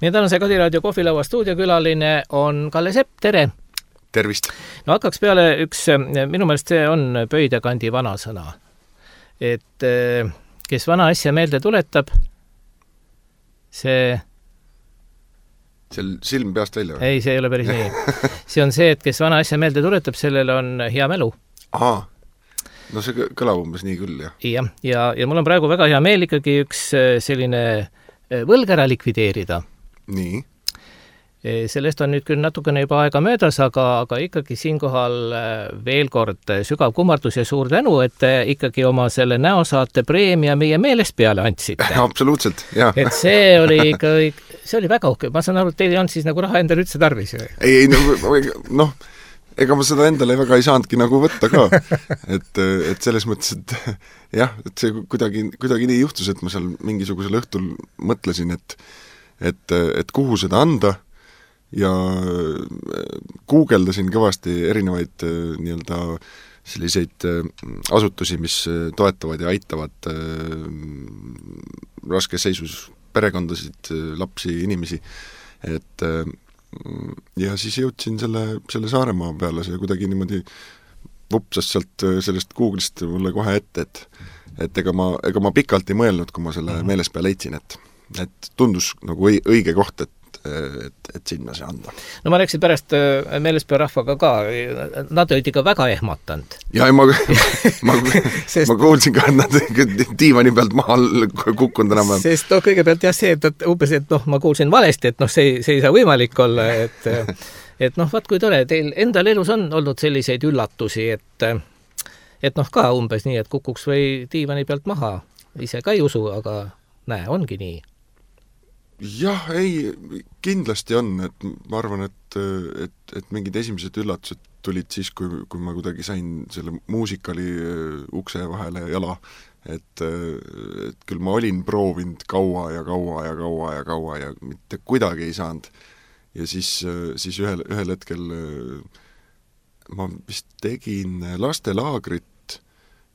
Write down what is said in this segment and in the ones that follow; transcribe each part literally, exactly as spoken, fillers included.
Nii tänase Kadiraadio kohvilaua stuudiokülaline on Kalle Sepp, tere! Tervist! No hakkaks peale üks, minu meelest see on Pöidekandi vanasõna. Et kes vana asja meelde tuletab, see... Seal silm peast välja? Ei, see ei ole päris nii. See on see, et kes vana asja meelde tuletab, sellel on hea mälu. Aha, no see kõlab umbes nii küll, jah. Ja, ja, ja mul on praegu väga hea meel ikkagi üks selline võlg ära likvideerida. Nii. Sellest on nüüd küll natukene juba aega möödas, aga, aga ikkagi siinkohal veel kord sügav kummardus ja suur tänu, et ikkagi oma selle näosaate preemia meie meelest peale andsite. Absoluutselt, jah. Et see oli ikka, see oli väga uhke. Ma saan aru, et teil ei olnud siis nagu raha endale üldse tarvis. Ei, ei, noh, ega ma seda endale väga ei saanudki nagu võtta ka. Et, et selles mõttes, et jah, et see kuidagi, kuidagi nii juhtus, et ma seal mingisugusel õhtul mõtlesin, et et, et kuhu seda anda ja guugeldasin kõvasti erinevaid nii-öelda selliseid asutusi, mis toetavad ja aitavad raskes seisus perekondasid, lapsi, inimesi. Et ja siis jõudsin selle, selle Saaremaa peale, see kuidagi niimoodi vupsas sealt sellest Googlist mulle kohe ette, et, et ega, ma, ega ma pikalt ei mõelnud, kui ma selle meeles peale leidsin, et et tundus nagu õige koht, et, et, et sinna see anda. No ma rääksin pärast meelespea rahvaga ka, nad olid ikka väga ehmatanud. Ja ma, ma, Sest... ma kuulsin ka, et nad diivani pealt maha kukkunud enam. Sest no, kõigepealt jah see, et umbes, et noh, ma kuulsin valesti, et noh, see, see ei saa võimalik olla, et, et noh, vaat kui tore, teil endal elus on olnud selliseid üllatusi, et, et noh, ka umbes nii, et kukuks või diivani pealt maha. Ise ka ei usu, aga näe, ongi nii. Jah, ei, kindlasti on, et ma arvan, et, et, et mingid esimesed üllatused tulid siis, kui, kui ma kuidagi sain selle muusikali ukse vahele jala, et, et küll ma olin proovinud kaua ja kaua ja kaua ja kaua ja mitte kuidagi ei saanud. Ja siis, siis ühel, ühel hetkel ma vist tegin lastelaagrit,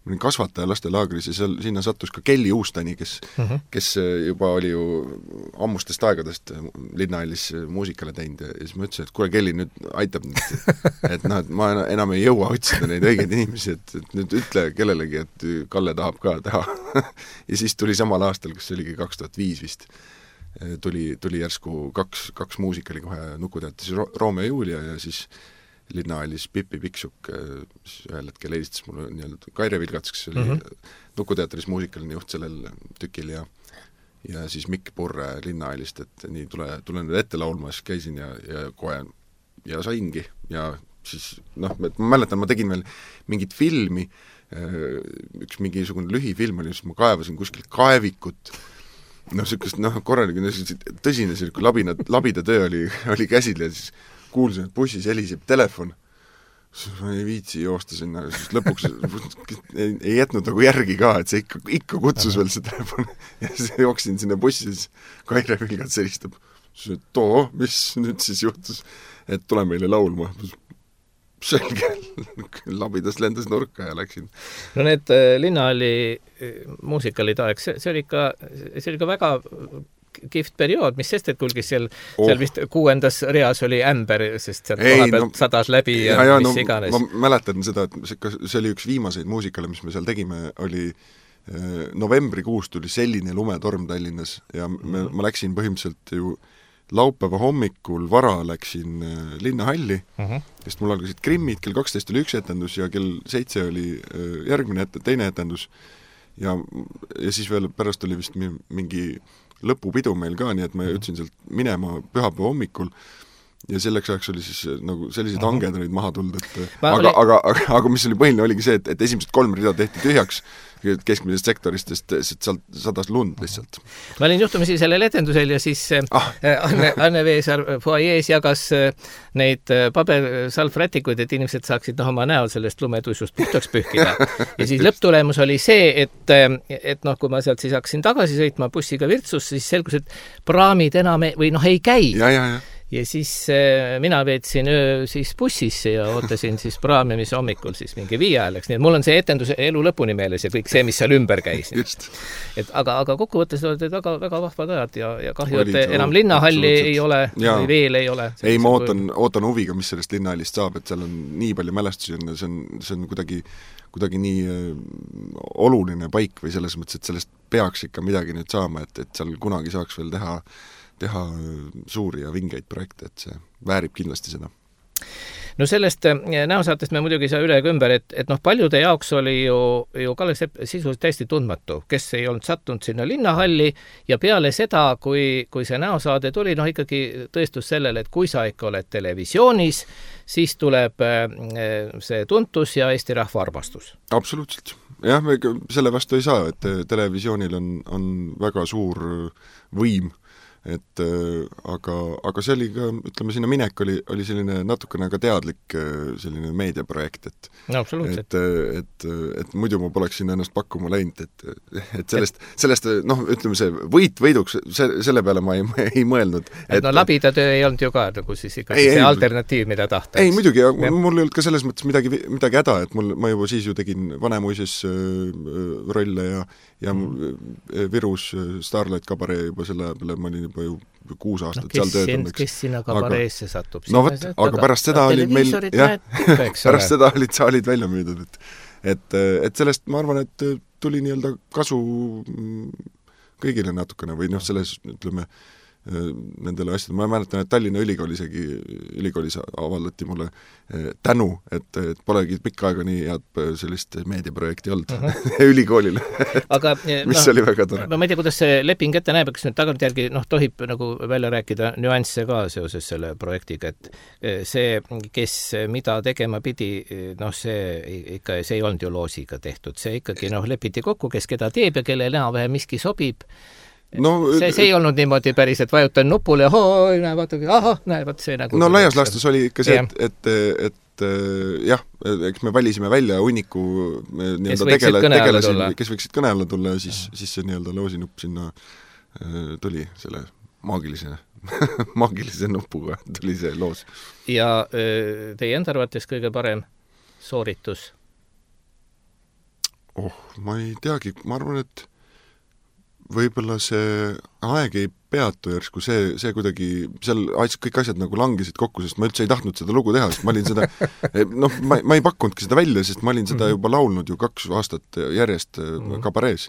ma olin kasvataja lastelaagris ja seal, sinna sattus ka Kelly Uustani, kes, uh-huh. kes juba oli ju ammustest aegadest Linnahallis muusikale teinud ja siis ma ütlesin, et kuule Kelly nüüd aitab nüüd, et noh, et ma enam ei jõua otsida neid õigeid inimesi, et, et nüüd ütle kellelegi, et Kalle tahab ka teha. Ja siis tuli samal aastal, kus oligi kaks tuhat viis vist, tuli, tuli järsku kaks, kaks muusikali kohe Nukuteatris Romeo ja Julia ja siis Linnahallis Pippi Piksuk ühel hetkel helistas mulle nii-öelda Kaire Vilgats, kes oli mm-hmm. Nukuteatris muusikaline juht sellel tükil ja, ja siis Mikk Purre Linnahallist, et nii tule, tule nüüd ette laulma, siis käisin ja, ja kohe ja saingi ja siis noh, ma mäletan, ma tegin veel mingit filmi, üks mingisugune lühifilm oli, siis ma kaevasin kuskil kaevikut, noh, sellist, noh, korraline, tõsine selline labina, labida töö oli, oli käsil ja siis kuulsin, et bussis heliseb telefon, siis ma ei viitsi joosta sinna, siis lõpuks ei, ei jätnud nagu järgi ka, et see ikka, ikka kutsus veel see telefon ja siis jooksin sinna bussi, siis Kaire Vilgats helistab, siis et too, mis nüüd siis juhtus, et tule meile laulma. Selge, labidas lendas nurka ja läksin. No need Linnahalli muusikalid aeg, see, see oli ikka, see oli ikka väga kihvt periood, mis sest, et kulgis seal, oh. seal vist kuuendas reas oli ämber, sest sealt koha pealt no, sadas läbi ja, ja, ja mis no, iganes. Ma mäletan seda, et see, see oli üks viimaseid muusikale, mis me seal tegime, oli eh, novembrikuus tuli selline lumetorm Tallinnas ja me, ma läksin põhimõtteliselt ju laupäeva hommikul vara läksin eh, Linnahalli, uh-huh. sest mul algasid Krimmid, kell kaksteist oli üks etendus ja kell seitse oli eh, järgmine et, teine etendus ja, ja siis veel pärast oli vist mingi lõpupidu meil ka, nii et ma ütlesin sealt minema pühapäeva hommikul ja selleks ajaks oli siis nagu sellised uh-huh. hanged olid maha tulnud, et aga, oli... aga, aga, aga mis oli põhiline oligi see, et, et esimesed kolm rida tehti tühjaks keskmisest sektorist, sest, sest sealt sadas lund lihtsalt. Ma olin juhtumisi sellel etendusel ja siis ah. Anne, Anne Veesaar foajees jagas neid pabersalvrätikuid, et inimesed saaksid noh, oma näol sellest lumetuisust puhtaks pühkida. Ja siis lõpptulemus oli see, et, et noh, kui ma sealt siis hakkasin tagasi sõitma bussiga Virtsus, siis selgus, et praamid enam ei, või noh, ei käi. Ja, ja, ja. ja siis äh, mina veetsin öö siis bussisse ja ootasin siis praami, mis hommikul siis mingi viie ajal läks. Nii et mul on see etenduse elu lõpuni meeles ja kõik see, mis seal ümber käis. Et aga, aga kokkuvõttes olid väga, väga vahvad ajad ja, ja kahju, et enam linnahalli ei ole ja. Või veel ei ole. Ei, ma ootan, ootan huviga, mis sellest linnahallist saab, et seal on nii palju mälestusi ja see on, see on kuidagi, kuidagi nii oluline paik või selles mõttes, et sellest peaks ikka midagi nüüd saama, et, et seal kunagi saaks veel teha teha suuri ja vingeid projekte, et see väärib kindlasti seda. No sellest näosaatest me muidugi saa üle ega ümber, et, et noh, paljude jaoks oli ju, ju Kalle Sepp sisuliselt täiesti tundmatu, kes ei olnud sattunud sinna linnahalli ja peale seda, kui, kui see näosaade tuli, noh ikkagi tõestus sellele, et kui sa ikka oled televisioonis, siis tuleb see tuntus ja Eesti rahva armastus. Absoluutselt. Jah, me selle vastu ei saa, et televisioonil on, on väga suur võim, et aga, aga see oli ka, ütleme, sinna minek oli, oli selline natukene ka teadlik selline meediaprojekt, et no, absoluutselt. Et, et, et muidu ma poleks sinna ennast pakkuma läinud, et, et sellest, sellest, noh, ütleme see võit võiduks, se, selle peale ma ei, ei mõelnud. Et, et no labida töö ei olnud ju ka, nagu siis ikkagi ei, see ei, alternatiiv, mida tahta. Ei, muidugi, ja mul ei olnud ka selles mõttes midagi, midagi häda, et mul, ma juba siis ju tegin Vanemuises rolle ja, ja Virus Starlight Kabaree juba selle peale ma olin juba ju kuus aastat no, seal töötanud. Kes sinna kabareesse satub? No võt, aga pärast seda olid meil, jah, pärast seda olid saalid välja müüdud, et, et, et sellest ma arvan, et tuli nii-öelda kasu kõigile natukene või noh, selles, ütleme, nendele asjadele. Ma mäletan, et Tallinna Ülikool isegi, ülikoolis avaldati mulle tänu, et, et polegi pikka aega nii head sellist meediaprojekti olnud uh-huh. ülikoolile. Aga, mis no, oli väga tore. Ma ei tea, kuidas see leping ette näeb, kas nüüd tagantjärgi noh, tohib nagu välja rääkida nüansse ka seoses selle projektiga, et see, kes mida tegema pidi, noh, see ikka, see ei olnud ju loosiga tehtud. See ikkagi noh, lepiti kokku, kes keda teeb ja kelle enam-vähem miski sobib. No, see, see ei olnud niimoodi päris, et vajutan nupule, hoo, näe, vaata, ahah, näe, vaata see nagu... No laias laastus oli ikka see, et, et, et jah, eks me valisime välja hunniku kes võiksid kõnealla tulla. Kes võiksid kõnealla tulla ja siis, siis see nii-öelda loosinupp sinna tuli selle maagilise, maagilise nupuga tuli see loos. Ja teie enda arvates kõige parem sooritus? Oh, ma ei teagi, ma arvan, et võib-olla see aeg ei peatu järsku, see, see kuidagi, seal kõik asjad nagu langesid kokku, sest ma üldse ei tahtnud seda lugu teha, sest ma olin seda, noh, ma, ma ei pakkunudki seda välja, sest ma olin seda juba laulnud ju kaks aastat järjest kabarees.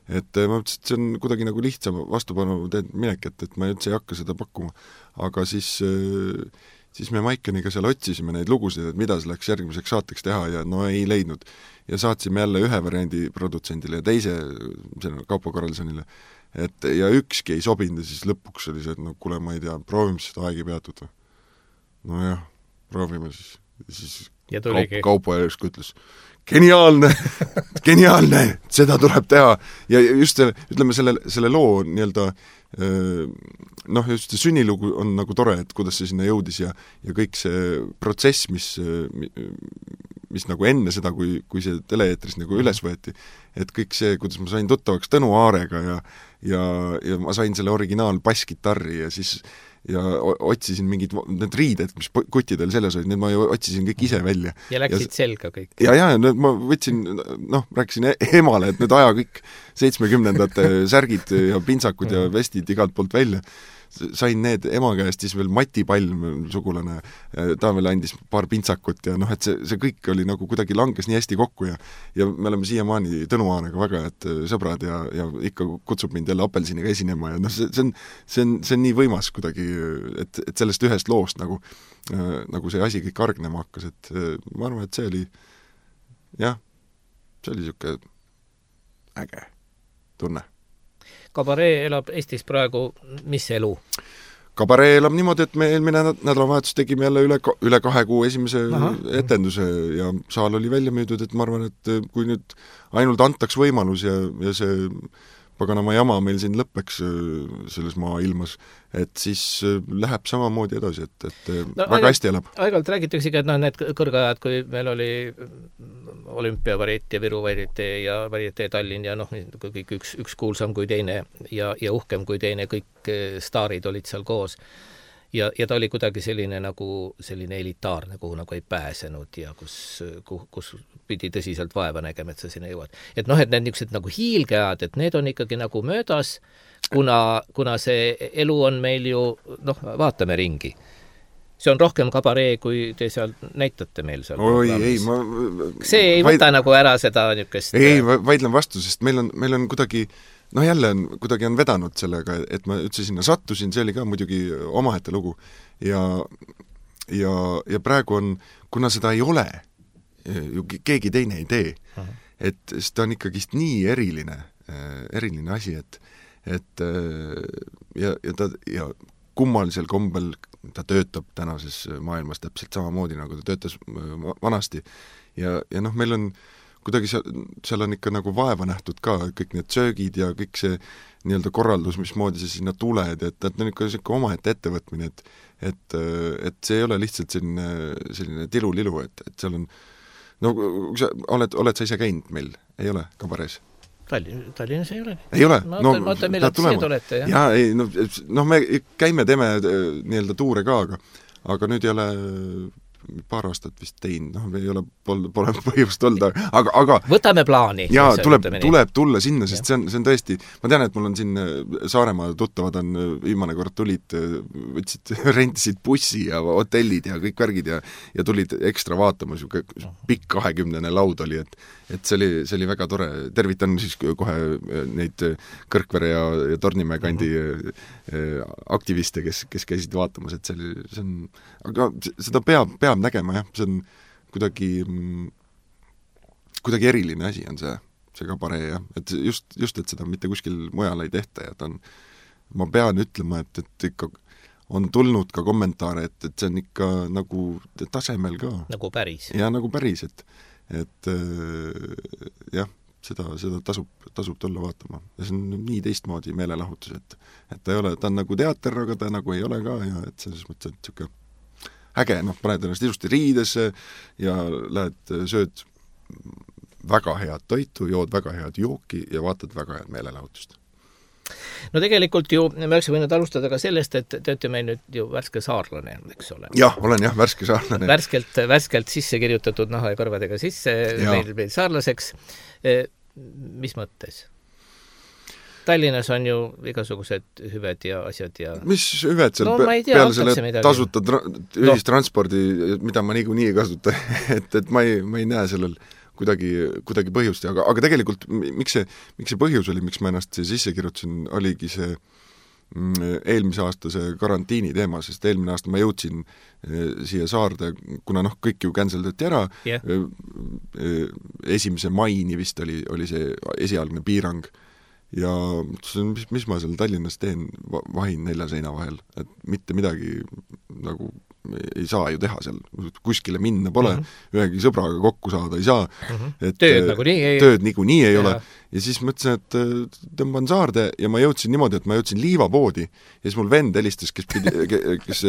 Et ma mõtlesin, et see on kuidagi nagu lihtsam vastupanu teed minek, et, et ma üldse ei hakka seda pakkuma. Aga siis, siis me Maikeniga seal otsisime neid lugusid, et mida selleks järgmiseks saateks teha ja no ei leidnud. Ja saatsime jälle ühe variandi produtsendile ja teise Kaupo Karlssonile. Et, ja ükski ei sobinud ja siis lõpuks oli see, et no kuule, ma ei tea, proovime seda aegi peatud. No jah, proovime siis. siis ja Kaupo, Kaupo järsku ütles, geniaalne, geniaalne, seda tuleb teha. Ja just selle, ütleme, selle, selle loo nii-öelda noh, just see sünnilugu on nagu tore, et kuidas see sinna jõudis ja, ja kõik see protsess, mis, mis nagu enne seda, kui, kui see teleeetris nagu üles võeti, et kõik see, kuidas ma sain tuttavaks Tõnu Aarega ja, ja, ja ma sain selle originaal basskitarri ja siis ja otsisin mingid need riided, mis kuttidel selles olid, need ma ju otsisin kõik ise välja. Ja läksid ja, selga kõik. Ja, ja, ma võtsin, noh, rääkisin emale, et nüüd aja kõik seitsmekümnendate särgid ja pintsakud ja vestid igalt poolt välja. Sain need ema käest, siis veel Mati Palm, sugulane, ta veel andis paar pintsakut ja noh, et see, see kõik oli nagu kuidagi langes nii hästi kokku ja ja me oleme siiamaani Tõnu Aarega väga et sõbrad ja, ja ikka kutsub mind jälle apelsiniga esinema ja noh, see, see on, see on, see on nii võimas kuidagi, et, et sellest ühest loost nagu, nagu see asi kõik argnema hakkas, et ma arvan, et see oli jah, see oli niisugune äge tunne. Kabaree elab Eestis praegu mis elu? Kabaree elab niimoodi, et me eelmine nädalavahetus tegime jälle üle, üle kahe kuu esimese Aha. etenduse ja saal oli välja müüdud, et ma arvan, et kui nüüd ainult antaks võimalus ja, ja see paganama jama meil siin lõppeks selles maailmas, et siis läheb samamoodi edasi, et, et no, väga aegalt, hästi elab. Aegalt räägitakse, et no, need kõrgajad, kui meil oli olümpiavarietee, Viru varietee ja varietee Tallinn ja noh, kõik üks, üks kuulsam kui teine ja, ja uhkem kui teine, kõik staarid olid seal koos. ja, ja ta oli kuidagi selline nagu selline elitaarne, kuhu nagu ei pääsenud ja kus, kus pidi tõsiselt vaeva nägema, et sa sinna jõuad. Et noh, et need niisugused nagu hiilgeajad, et need on ikkagi nagu möödas, kuna, kuna see elu on meil ju, noh, vaatame ringi. See on rohkem kabaree, kui te seal näitate meil seal. Oi, ei, ma... See ei vaid... võta nagu ära seda niisugust... Ei, vaidlen vastu, sest meil on, meil on kuidagi, noh jälle on, kuidagi on vedanud sellega, et ma üldse sinna sattusin, see oli ka muidugi omahete lugu. Ja, ja, ja praegu on, kuna seda ei ole, ju keegi teine ei tee, uh-huh. et seda on ikkagi nii eriline, eriline asi, et, et ja, ja, ta, ja kummalisel kombel ta töötab tänases maailmas täpselt samamoodi, nagu ta töötas vanasti. Ja, ja noh, meil on kuidagi seal, seal on ikka nagu vaeva nähtud ka, kõik need söögid ja kõik see nii-öelda korraldus, mismoodi sa sinna tuled, et, et on ikka selline omaette ettevõtmine, et, et, et see ei ole lihtsalt selline, selline tilu-lilu, et, et seal on, no sa, oled, oled sa ise käinud meil? Ei ole kabarees? Tallinn, Tallinnas ei ole. Ei ole? Ma ootan, no, ootan millal te siia tulete, jah? Jaa, ei, no, no me käime, teeme nii-öelda tuure ka, aga, aga nüüd ei ole paar aastat vist teinud, noh, ei ole, pole, pole põhjust olnud, aga, aga võtame plaani. Jaa, tuleb, tuleb tulla sinna, sest see on, see on tõesti, ma tean, et mul on siin Saaremaa tuttavad on viimane kord tulid, võtsid, rentisid bussi ja hotellid ja kõik värgid ja, ja tulid ekstra vaatama, pikk kahekümnene laud oli, et, et see oli, see oli väga tore. Tervitan siis kohe neid Kõrkvere ja, ja Tornimäe kandi aktiviste, kes, kes käisid vaatamas, et see oli, see on, aga seda peab, peab nägema, jah, see on kuidagi kuidagi eriline asi on see, see kabaree, jah, et just, just, et seda mitte kuskil mujal ei tehta ja ta on, ma pean ütlema, et, et ikka on tulnud ka kommentaare, et, et see on ikka nagu tasemel ka. Nagu päris. Ja nagu päris, et, et jah, seda, seda tasub, tasub tulla vaatama. Ja see on nii teistmoodi meelelahutus, et, et ta ei ole, ta on nagu teater, aga ta nagu ei ole ka ja et selles mõttes, et siuke äge, noh, paned ennast ilusti riidesse ja lähed, sööd väga head toitu, jood väga head jooki ja vaatad väga head meelelahutust. No tegelikult ju, me oleks võinud alustada ka sellest, et te olete meil nüüd ju värske saarlane, eks ole. Jah, olen jah, värske saarlane. Värskelt, värskelt sisse kirjutatud naha ja kõrvadega sisse meil, meil saarlaseks. Mis mõttes? Tallinnas on ju igasugused hüved ja asjad ja... Mis hüved seal no, pe tea, peale selle tasuta ühistranspordi, no. Mida ma niikuinii ei kasuta, et, et ma ei, ma ei näe sellel kuidagi, kuidagi põhjust, aga, aga tegelikult miks see, miks see põhjus oli, miks ma ennast sisse kirjutasin, oligi see eelmise aasta see karantiini teema, sest eelmine aasta ma jõudsin siia saarde, kuna noh, kõik ju canceldati ära, yeah. esimese maini vist oli, oli see esialgne piirang ja mis, mis ma seal Tallinnas teen, vahin nelja seina vahel, et mitte midagi nagu ei saa ju teha seal, kuskile minna pole, mm -hmm. ühegi sõbraga kokku saada ei saa, mm -hmm. et tööd nagu nii ei, tööd nagu nii ei ja. ole ja siis mõtlesin, et tõmban saarde ja ma jõudsin niimoodi, et ma jõudsin liivapoodi ja siis mul vend helistas, kes pidi, kes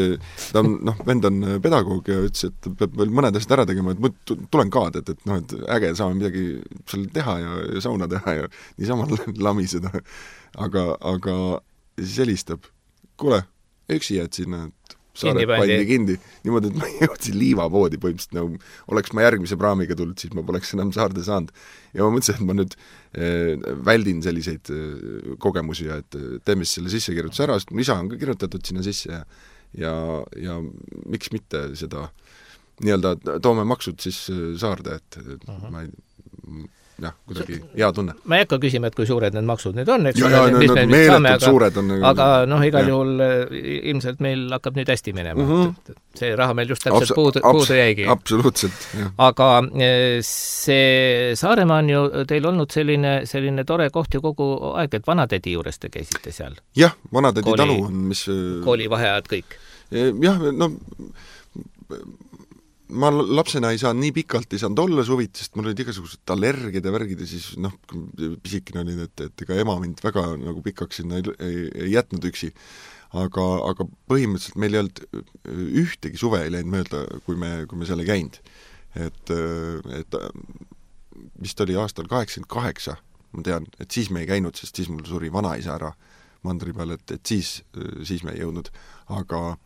ta on, noh, vend on pedagoog ja ütles, et peab veel mõned asjad ära tegema, et ma tulen ka, et, et noh, et äge, saame midagi seal teha ja, ja sauna teha ja niisama lamiseda, aga, aga siis helistab, kuule, üksi jääd sinna, et Saare pandi kindi, niimoodi, et ma jõudsin liivapoodi põhimõtteliselt, nagu oleks ma järgmise praamiga tulnud, siis ma poleks enam saarde saanud. Ja ma mõtlesin, et ma nüüd eh, väldin selliseid eh, kogemusi ja et teeme selle sissekirjutus ära, sest mu isa on ka kirjutatud sinna sisse ja, ja, ja miks mitte seda nii-öelda toome maksud siis saarde, et uh-huh. ma ei jah, kuidagi hea tunne. Ma ei hakka küsima, et kui suured need maksud nüüd on, eks ja, ja, no, no, meeletult aga, suured on. Aga noh, igal ja. juhul ilmselt meil hakkab nüüd hästi minema. Uh-huh. See raha meil just täpselt abs puudu, abs puudu jäigi. Absoluutselt, jah. Aga see Saaremaa on ju teil olnud selline, selline tore koht ju kogu aeg, et vanatädi juures te käisite seal. Jah, vanatädi kooli, talu on, mis... Koolivaheajad kõik. Jah, no... ma lapsena ei saanud nii pikalt, ei saanud olla suvit, sest mul olid igasugused allergiad ja värgid ja siis noh, pisikene oli, et, et ega ema mind väga nagu pikaks sinna ei, ei, ei jätnud üksi. Aga, aga põhimõtteliselt meil ei olnud ühtegi suve ei läinud mööda, kui me, kui me seal ei käinud. Et, et vist oli aastal kaheksakümmend kaheksa, ma tean, et siis me ei käinud, sest siis mul suri vanaisa ära mandri peal, et, et siis, siis me ei jõudnud. Aga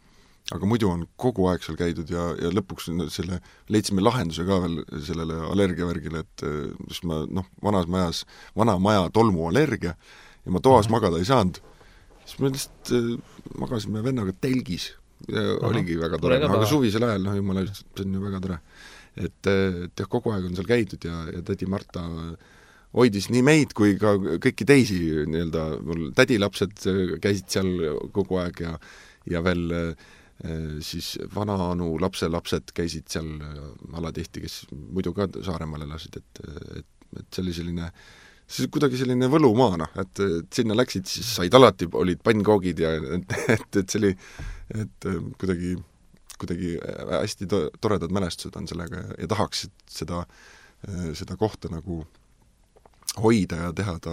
aga muidu on kogu aeg seal käidud ja, ja lõpuks selle, leidsime lahenduse ka veel sellele allergiavärgile, et sest ma noh, vanas majas, vana maja tolmuallergia ja ma toas mm-hmm. magada ei saanud, siis me lihtsalt magasime vennaga telgis ja mm-hmm. oligi väga tore, no, aga suvisel ajal, noh jumala, see on ju väga tore. Et, et jah, kogu aeg on seal käidud ja, ja tädi Marta hoidis nii meid kui ka kõiki teisi nii-öelda, mul tädilapsed käisid seal kogu aeg ja, ja veel siis vanaanu lapselapsed käisid seal alatihti, kes muidu ka Saaremaal elasid, et, et, et see oli selline, see kuidagi selline võlumaana, et, et sinna läksid, siis said alati, olid pannkoogid ja et, et, et see oli, et kuidagi, kuidagi hästi to, toredad mälestused on sellega ja, ja tahaks seda, seda kohta nagu hoida ja teha ta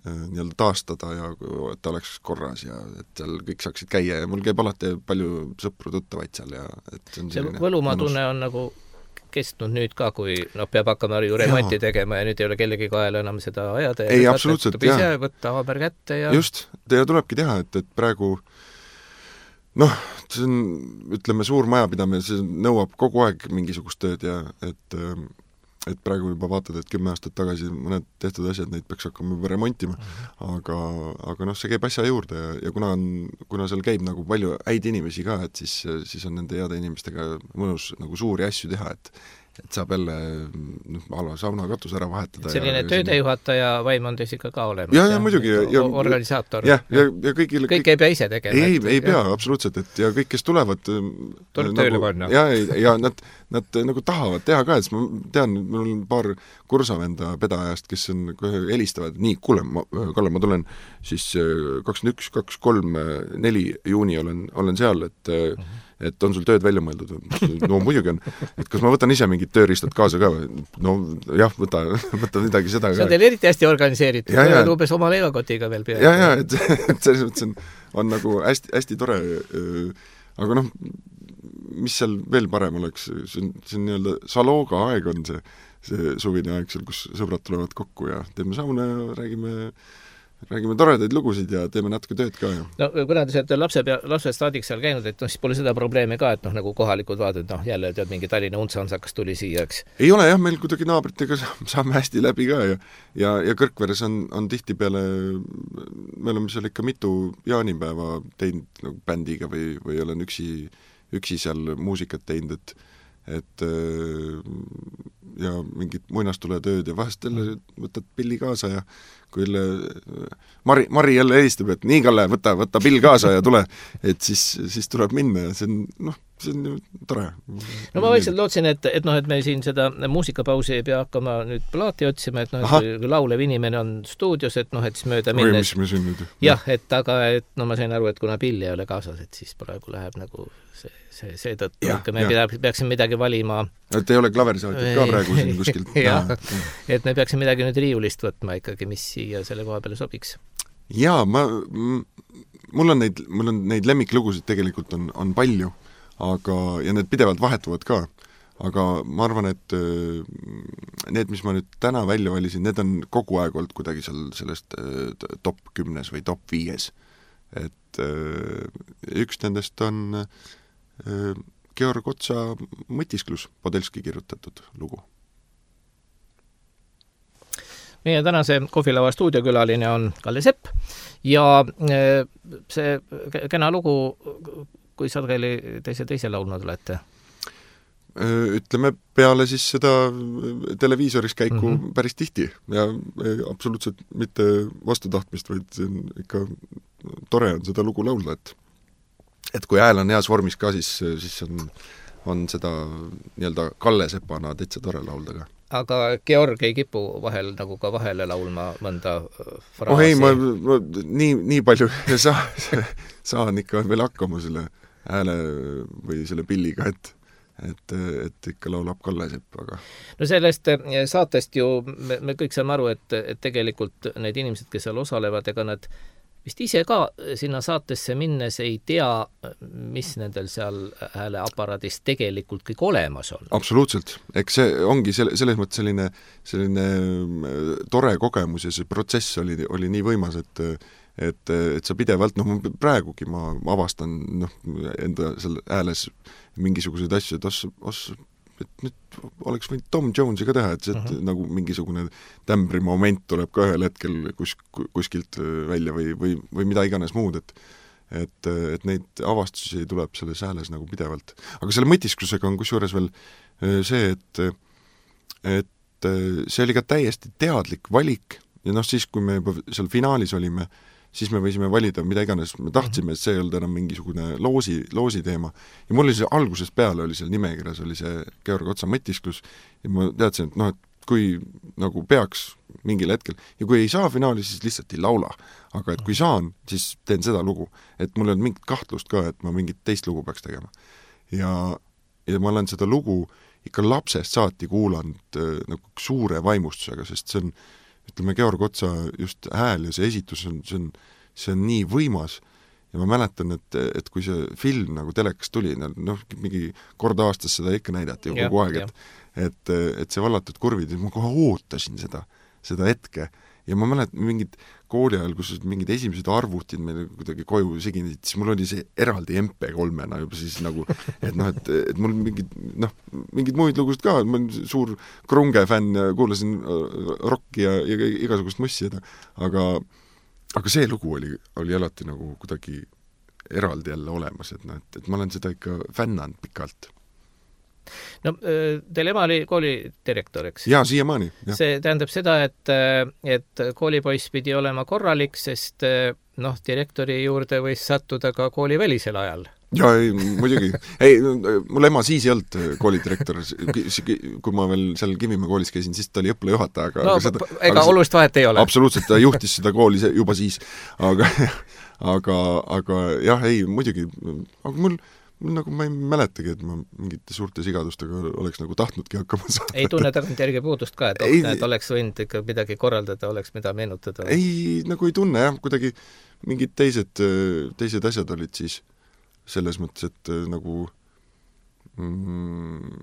nii-öelda taastada ja et ta oleks korras ja et seal kõik saaksid käia ja mul käib alati palju sõpru tuttavaid seal ja et see on see võlumaa tunne on nagu kestnud nüüd ka, kui noh, peab hakkama ju remonti tegema ja nüüd ei ole kellegi kaela enam seda ajada ja ei, absoluutselt, jah. Võtta haaber kätte ja just, ja tulebki teha, et, et praegu noh, see on, ütleme, suur majapidamine, see nõuab kogu aeg mingisugust tööd ja et et praegu juba vaatad, et kümme aastat tagasi mõned tehtud asjad, neid peaks hakkama juba remontima, aga, aga noh, see käib asja juurde ja, ja kuna on, kuna seal käib nagu palju häid inimesi ka, et siis, siis on nende heade inimestega mõnus nagu suuri asju teha, et et saab jälle noh, ala sauna katus ära vahetada. Selline ja, töödejuhataja vaim on teis ikka ka olemas. Ja, ja, muidugi. Ja, ja, organisaator. Ja, ja, ja kõigil, kõik, kõik ei pea ise tegema. Ei, ei pea, absoluutselt, et ja kõik, kes tulevad tuleb nagu, tööle panna. Ja, ja nad, nad nagu tahavad teha ka, et ma tean, mul on paar kursavenda pedajast, kes on kohe helistavad, nii, kuule, ma, Kalle, ma tulen siis kakskümmend üks, kakskümmend kolm, neli juuni olen, olen seal, et uh-huh. et on sul tööd välja mõeldud? No muidugi on. Et kas ma võtan ise mingid tööriistad kaasa ka? No jah, võta, võta midagi seda ka. See on teil eriti hästi organiseeritud. Ja, ja. Umbes oma leivakotiga veel peale. Ja, ja, et, et selles mõttes on, on nagu hästi, hästi tore. Aga noh, mis seal veel parem oleks? See on, see on nii-öelda salooga aeg on see, see suvine aeg seal, kus sõbrad tulevad kokku ja teeme sauna ja räägime räägime toredaid lugusid ja teeme natuke tööd ka. Ja. No kuna te olete lapse pea, lapsest saadik seal käinud, et noh, siis pole seda probleemi ka, et noh, nagu kohalikud vaatad, noh, jälle tead mingi Tallinna untsansakas tuli siia, eks? Ei ole jah, meil kuidagi naabritega saame hästi läbi ka ja, ja, ja Kõrkveres on, on tihti peale, me oleme seal ikka mitu jaanipäeva teinud nagu bändiga või, või olen üksi, üksi seal muusikat teinud, et et ja mingid muinastuletööd ja vahest jälle võtad pilli kaasa ja kui jälle Mari, Mari jälle helistab, et nii, Kalle, võta, võta pill kaasa ja tule, et siis, siis tuleb minna ja see on, noh, see on ju tore. No ma vaikselt lootsin, et, et noh, et me siin seda muusikapausi ei pea hakkama nüüd plaati otsima, et noh, et kui laulev inimene on stuudios, et noh, et siis mööda minnes. Või mis me siin nüüd? Jah, et aga, et no ma sain aru, et kuna pill ei ole kaasas, et siis praegu läheb nagu see, see, see tõttu, ikka me pea, peaksime midagi valima. Et ei ole klaverisaatit ka praegu siin kuskilt. jah, et me peaksime midagi nüüd riiulist võtma ikkagi, mis siia selle koha peale sobiks. Jaa, ma, mul on neid, mul on neid lemmiklugusid tegelikult on, on palju, aga, ja need pidevalt vahetuvad ka, aga ma arvan, et need, mis ma nüüd täna välja valisin, need on kogu aeg olnud kuidagi seal sellest top kümnes või top viies. Et üks nendest on Georg Otsa Mõtisklus, Podelski kirjutatud lugu. Meie tänase kohvilaua stuudiokülaline on Kalle Sepp ja see kena lugu, kui sageli teise teise laulnud olete? Ütleme, peale siis seda televiisoris käiku mm-hmm. päris tihti ja absoluutselt mitte vastutahtmist, vaid see on ikka tore on seda lugu laulda, et et kui hääl on heas vormis ka, siis, siis on, on seda nii-öelda Kalle Sepana täitsa tore laulda ka. Aga Georg ei kipu vahel nagu ka vahele laulma mõnda fraasi? Oh ei, ma, ma nii, nii palju saa, saan ikka veel hakkama selle hääle või selle pilliga, et et, et ikka laulab Kalle Sepp, aga no sellest saatest ju me, me kõik saame aru, et, et tegelikult need inimesed, kes seal osalevad, ega nad vist ise ka sinna saatesse minnes ei tea, mis nendel seal hääleaparaadis tegelikult kõik olemas on. Absoluutselt. Eks see ongi selle, selles mõttes selline, selline tore kogemus ja see protsess oli, oli nii võimas, et et, et sa pidevalt, noh, praegugi ma avastan noh, enda selle hääles mingisuguseid asju, et os, os, et nüüd oleks võinud Tom Jonesi ka teha, et see, et uh-huh. nagu mingisugune tämbri moment tuleb ka ühel hetkel kus, kuskilt välja või, või, või mida iganes muud, et et, et neid avastusi tuleb selles hääles nagu pidevalt. Aga selle mõtisklusega on kusjuures veel see, et et see oli ka täiesti teadlik valik ja noh, siis kui me juba seal finaalis olime, siis me võisime valida mida iganes, me tahtsime, et see ei olnud enam mingisugune loosi, loosi teema. Ja mul oli see algusest peale, oli seal nimekirjas, oli see Georg Otsa mõtisklus ja ma teadsin, et noh, et kui nagu peaks mingil hetkel, ja kui ei saa finaali, siis lihtsalt ei laula. Aga et kui saan, siis teen seda lugu. Et mul on mingit kahtlust ka, et ma mingit teist lugu peaks tegema. Ja, ja ma olen seda lugu ikka lapsest saati kuulanud äh, nagu suure vaimustusega, sest see on ütleme, Georg Otsa just hääl ja see esitus on, see on, see on nii võimas ja ma mäletan, et, et kui see film nagu telekas tuli, noh, mingi kord aastas seda ikka näidati ju kogu aeg, et, et, et see vallatud kurvid, ma kohe ootasin seda, seda hetke ja ma mäletan mingid kooli ajal, kus mingid esimesed arvutid meile kuidagi koju siginid, siis mul oli see eraldi M P kolmena juba siis nagu, et noh, et, et mul mingid, noh, mingid muid lugusid ka, ma olen suur Krunge fänn ja kuulasin rocki ja, ja igasugust mussi, aga, aga see lugu oli, oli alati nagu kuidagi eraldi jälle olemas, et, noh, et, et ma olen seda ikka fännanud pikalt. No teil ema oli koolidirektor, eks? Jaa, siiamaani. See tähendab seda, et, et koolipoiss pidi olema korralik, sest noh, direktori juurde võis sattuda ka kooli välisel ajal. Jaa, ei, muidugi. Ei, mul ema siis ei olnud koolidirektor. Kui ma veel seal Kivimäe koolis käisin, siis ta oli õppelajuhataja. Aga, no, aga seda, ega aga olulist vahet ei ole. Absoluutselt, ta juhtis seda kooli juba siis. Aga, aga, aga jah, ei, muidugi. Aga mul mul nagu ma ei mäletagi, et ma mingite suurte sigadustega oleks nagu tahtnudki hakkama saada. Ei tunne tagant järgi puudust ka, et, ei, et oleks võinud ikka midagi korraldada, oleks mida meenutada? Ei, nagu ei tunne jah, kuidagi mingid teised, teised asjad olid siis selles mõttes, et nagu mm,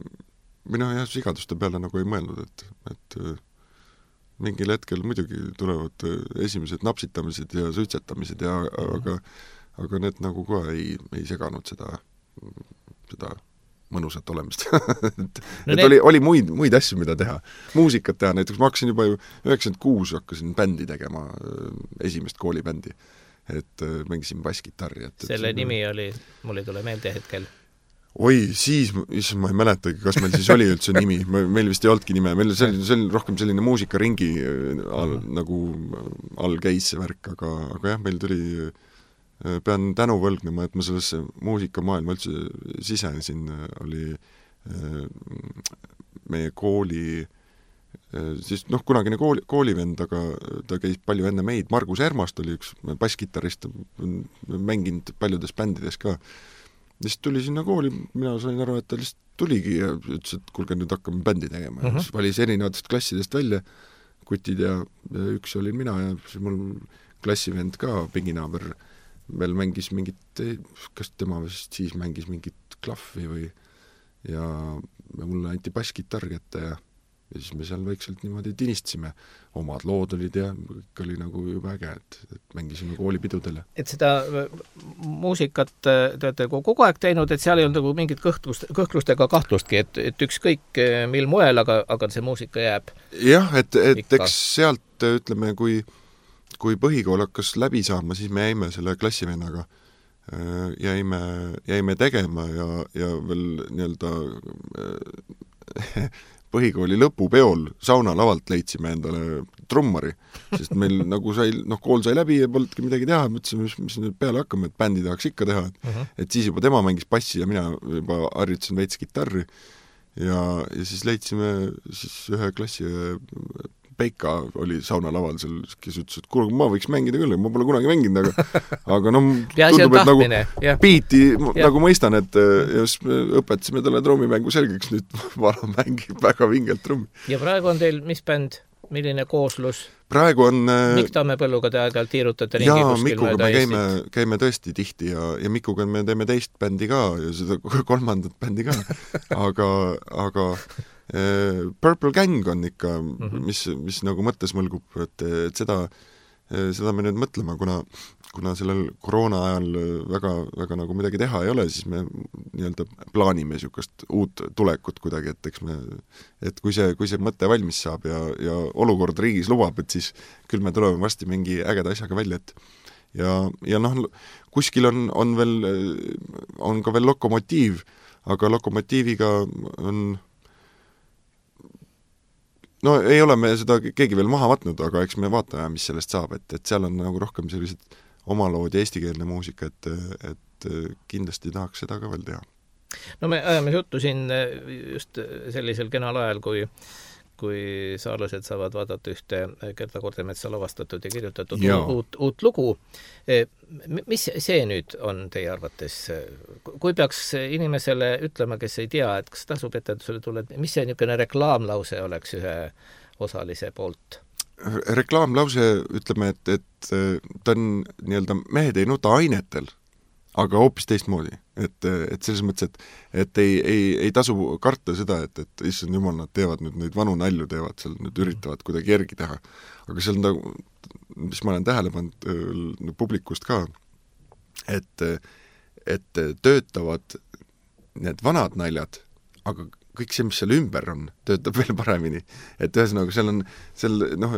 mina jah, sigaduste peale nagu ei mõelnud, et, et mingil hetkel muidugi tulevad esimesed napsitamised ja suitsetamised ja mm-hmm. aga, aga need nagu ka ei, ei seganud seda seda mõnusat olemist. et no et need... oli, oli muid, muid asju, mida teha. Muusikat teha, näiteks ma hakkasin juba ju üheksakümmend kuus hakkasin bändi tegema, esimest koolibändi. Et mängisin basskitarri. Et, selle et, nimi oli, mul ei tule meelde hetkel. Oi, siis, issand, ma ei mäletagi, kas meil siis oli üldse nimi. Meil vist ei olnudki nime. Meil oli, see oli rohkem selline muusikaringi all, nagu all käis see värk, aga, aga jah, meil tuli pean tänu võlgnema, et ma sellesse muusikamaailma üldse sisenesin, oli meie kooli, siis noh, kunagine kooli, koolivend, aga ta käis palju enne meid, Margus Ermast oli üks basskitarrist, mänginud paljudes bändides ka. Ja siis tuli sinna kooli, mina sain aru, et ta lihtsalt tuligi ja ütles, et kuulge, nüüd hakkame bändi tegema. Uh-huh. Siis valis erinevatest klassidest välja kutid ja, ja üks oli mina ja siis mul klassivend ka, pinginaaber, veel mängis mingit, kas tema vist siis mängis mingit klahvi või ja mulle anti basskitarr kätte ja, ja siis me seal vaikselt niimoodi tinistasime. Omad lood olid ja kõik oli nagu juba äge, et, et mängisime koolipidudele. Et seda muusikat te olete kogu aeg teinud, et seal ei olnud nagu mingit kõhtlust, kõhklustega kahtlustki, et, et ükskõik mil moel, aga, aga see muusika jääb. Jah, et, et eks sealt ütleme, kui kui põhikool hakkas läbi saama, siis me jäime selle klassivennaga, jäime, jäime tegema ja, ja veel nii-öelda põhikooli lõpupeol saunalavalt leidsime endale trummari, sest meil nagu sai, noh, kool sai läbi ja polnudki midagi teha, mõtlesime, mis, mis nüüd peale hakkame, et bändi tahaks ikka teha, et, uh-huh. et siis juba tema mängis bassi ja mina juba harjutasin veits kitarri ja, ja siis leidsime siis ühe klassi Peika oli saunalaval seal, kes ütles, et kuule, ma võiks mängida küll, ma pole kunagi mänginud, aga, aga no tundub, et nagu ja. Biiti ja. Nagu mõistan, et ja siis õpetasime talle trummimängu selgeks, nüüd vana mängib väga vingelt trummi. Ja praegu on teil mis bänd, milline kooslus? Praegu on... Mikk Tammepõlluga te aeg-ajalt tiirutate ringi kuskil? Jaa, Mikuga me käime, käime tõesti tihti ja, ja Mikuga me teeme teist bändi ka ja seda kolmandat bändi ka, aga, aga Purple Gang on ikka, mis, mis nagu mõttes mõlgub, et, et seda seda me nüüd mõtlema, kuna kuna sellel koroona ajal väga, väga nagu midagi teha ei ole, siis me nii-öelda plaanime niisugust uut tulekut kuidagi, et eks me, et kui see, kui see mõte valmis saab ja, ja olukord riigis lubab, et siis küll me tuleme varsti mingi ägeda asjaga välja, et ja, ja noh, kuskil on, on veel, on ka veel Lokomotiiv, aga Lokomotiiviga on no ei ole me seda keegi veel maha võtnud, aga eks me vaatame, mis sellest saab, et, et seal on nagu rohkem sellised omalood ja eestikeelne muusika, et, et kindlasti tahaks seda ka veel teha. No me ajame juttu siin just sellisel kenal ajal, kui, kui saarlased saavad vaadata ühte Gerda Kordemetsa lavastatud ja kirjutatud ja. Uut, uut lugu. Mis see nüüd on teie arvates? Kui peaks inimesele ütlema, kes ei tea, et kas tasub etendusele tulla, mis see niisugune reklaamlause oleks ühe osalise poolt? Reklaamlause, ütleme, et, et ta on nii-öelda mehed ei nuta ainetel, aga hoopis teistmoodi. Et, et selles mõttes, et, et ei, ei, ei tasu karta seda, et, et issand jumal, nad teevad nüüd neid vanu nalju, teevad seal, nüüd üritavad kuidagi järgi teha. Aga see on ta, mis ma olen tähele pannud publikust ka, et, et töötavad need vanad naljad, aga kõik see, mis seal ümber on, töötab veel paremini. Et ühesõnaga, seal on, seal, noh,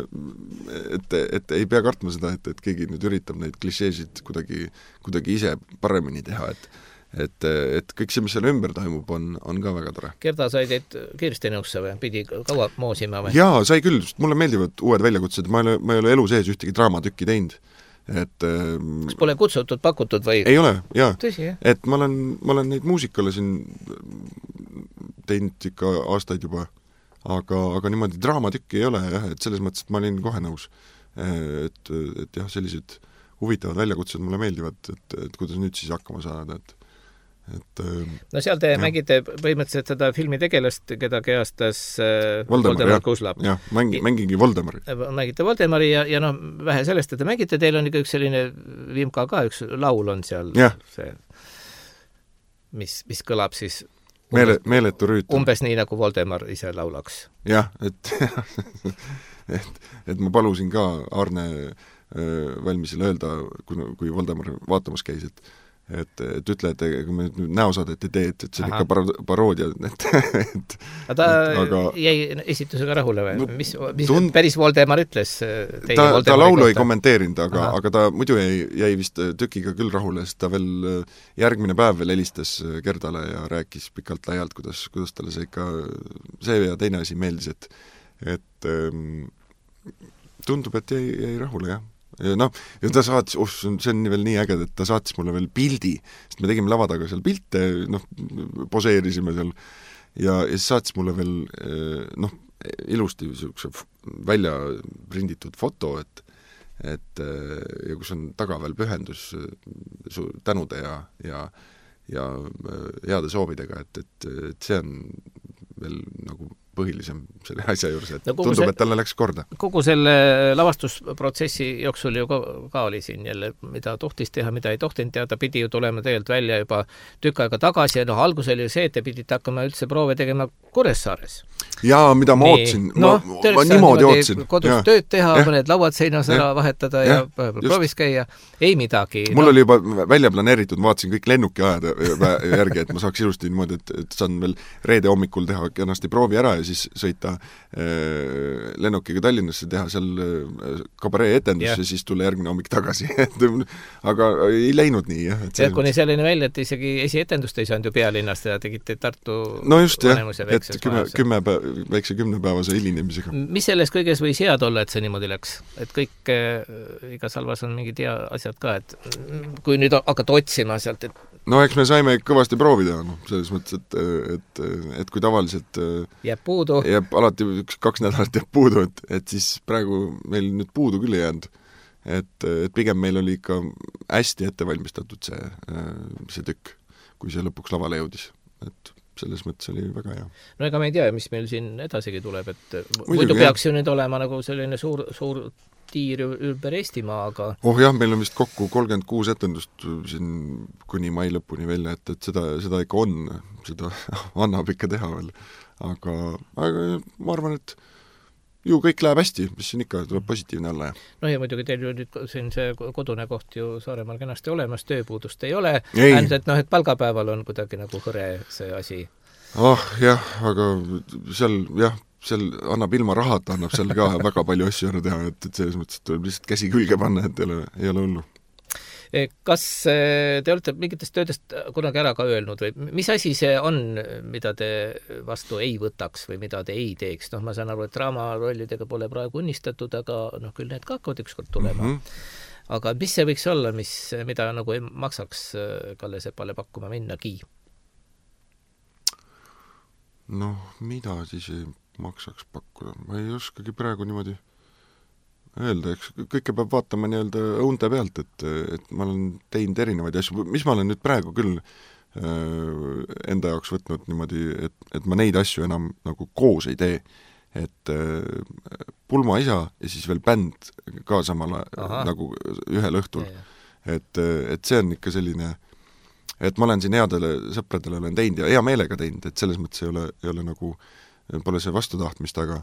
et, et ei pea kartma seda, et, et keegi nüüd üritab neid klišeesid kuidagi, kuidagi ise paremini teha, et et, et kõik see, mis seal ümber toimub, on, on ka väga tore. Gerda sai teid kiiresti nõusse või? Pidi kaua moosima või? Jaa, sai küll, mulle meeldivad uued väljakutsed, ma ei ole, ma ei ole elu sees ühtegi draamatükki teinud. Et, kas pole kutsutud, pakutud või? Ei ole, jaa. Tõsi, jah? Et ma olen, ma olen neid muusikale siin teinud ikka aastaid juba, aga, aga niimoodi draamatükki ei ole, jah, et selles mõttes, et ma olin kohe nõus. Et, et jah, sellised huvitavad väljakutsed mulle meeldivad, et, et kuidas nüüd siis hakkama saada, et et no seal te jah. Mängite põhimõtteliselt seda filmi tegelast, keda kehastas Voldemar, Voldemar Kuuslap. Jah, mängi, mängingi Voldemari. Mängite Voldemari ja, ja noh, vähe sellest, et te mängite, teil on ikka üks selline Vimka ka, üks laul on seal ja. See, mis, mis kõlab siis Meele, meeletu rüüt. Umbes nii, nagu Voldemar ise laulaks. Jah, et, et, et ma palusin ka Arne valmisele öelda, kui, kui Voldemar vaatamas käis, et et, et ütle, et kui me nüüd näosaadet ei tee, et, et see on Aha. ikka par-, paroodia, et, et aga ta et, aga... jäi esitusega rahule või? No, mis, mis tund... päris Voldemar ütles teie ta, Voldemari ta laulu kohta? Ei kommenteerinud, aga, aga ta muidu jäi, jäi vist tükiga küll rahule, sest ta veel järgmine päev veel helistas Gerdale ja rääkis pikalt laialt, kuidas, kuidas talle see ikka see ja teine asi meeldis, et et ähm, tundub, et jäi, jäi rahule, jah. Ja noh, ja ta saatis, oh, see on veel nii äge, et ta saatis mulle veel pildi, sest me tegime lava taga seal pilte, noh, poseerisime seal ja, ja siis saatis mulle veel noh, ilusti niisuguse välja prinditud foto, et et ja kus on taga veel pühendus su tänude ja, ja, ja heade soovidega, et, et, et see on veel nagu põhilisem selle asja juures, et no, tundub, see, et talle läks korda. Kogu selle lavastusprotsessi jooksul ju ka, ka oli siin jälle, mida tohtis teha, mida ei tohtinud teha, ta pidi ju tulema tegelikult välja juba tükk aega tagasi ja noh, algus oli ju see, et te pidite hakkama üldse proove tegema Kuressaares. Jaa, mida ma nii. Ootsin, ma, no, ma niimoodi ootsin. Kodus ja. Tööd teha, ja. Mõned lauad seinas ära vahetada ja, ja proovis käia, ei midagi. Mul no. oli juba välja planeeritud, vaatasin kõik lennuki ajad järgi, et ma saaks ilusti niimoodi, et, et saan veel reede hommikul teha kenasti proovi ära ja siis sõita äh, lennukiga Tallinnasse, teha seal äh, kabaree etendus yeah. ja siis tulla järgmine hommik tagasi. Aga ei läinud nii, jah. Ja kuni selline välja, et isegi esietendust ei saanud ju pealinnast ja tegite Tartu no just, jah, et kümme, kümme päev, väikse kümnepäevase hilinemisega. Mis selles kõiges võis head olla, et see niimoodi läks? Et kõik, äh, igas halvas on mingid hea asjad ka, et kui nüüd hakata otsima sealt, et no eks me saime kõvasti proovida, noh, selles mõttes, et, et, et kui tavaliselt jääb puudu. Jääb alati üks, kaks nädalat jääb puudu, et, et siis praegu meil nüüd puudu küll ei jäänud. Et, et pigem meil oli ikka hästi ettevalmistatud see, see tükk, kui see lõpuks lavale jõudis. Et selles mõttes oli väga hea. No ega me ei tea, mis meil siin edasigi tuleb, et muidu peaks ju nüüd olema nagu selline suur, suur tiir ümber Eestimaa, aga oh jah, meil on vist kokku kolmkümmend kuus etendust siin kuni mai lõpuni välja, et, et seda, seda ikka on, seda annab ikka teha veel. Aga, aga ma arvan, et ju kõik läheb hästi, mis siin ikka tuleb positiivne olla. Ja. No ja muidugi teil ju nüüd siin see kodune koht ju Saaremaal kenasti olemas, tööpuudust ei ole, ainult et noh, et palgapäeval on kuidagi nagu hõre see asi. Ah, jah, aga seal, jah, seal annab ilma rahata, annab seal ka väga palju asju ära teha, et, et selles mõttes tuleb lihtsalt käsi külge panna, et ei ole, ei ole hullu. Kas te olete mingitest töödest kunagi ära ka öelnud või mis asi see on, mida te vastu ei võtaks või mida te ei teeks? Noh, ma saan aru, et draamarollidega pole praegu unistatud, aga noh, küll need ka hakkavad ükskord tulema. Mm -hmm. Aga mis see võiks olla, mis, mida nagu ei maksaks Kalle Sepale pakkuma minnagi? Noh, mida siis ei maksaks pakkuda? Ma ei oskagi praegu niimoodi öelda, eks kõike peab vaatama nii-öelda õunte pealt, et, et ma olen teinud erinevaid asju, mis ma olen nüüd praegu küll äh, enda jaoks võtnud niimoodi, et, et ma neid asju enam nagu koos ei tee. Et äh, Pulma isa ja siis veel bänd ka samala Aha. nagu ühel õhtul. Et, et see on ikka selline, et ma olen siin headele sõpradele olen teinud ja hea meelega teinud, et selles mõttes ei ole, ei ole nagu, pole see vastutahtmist, aga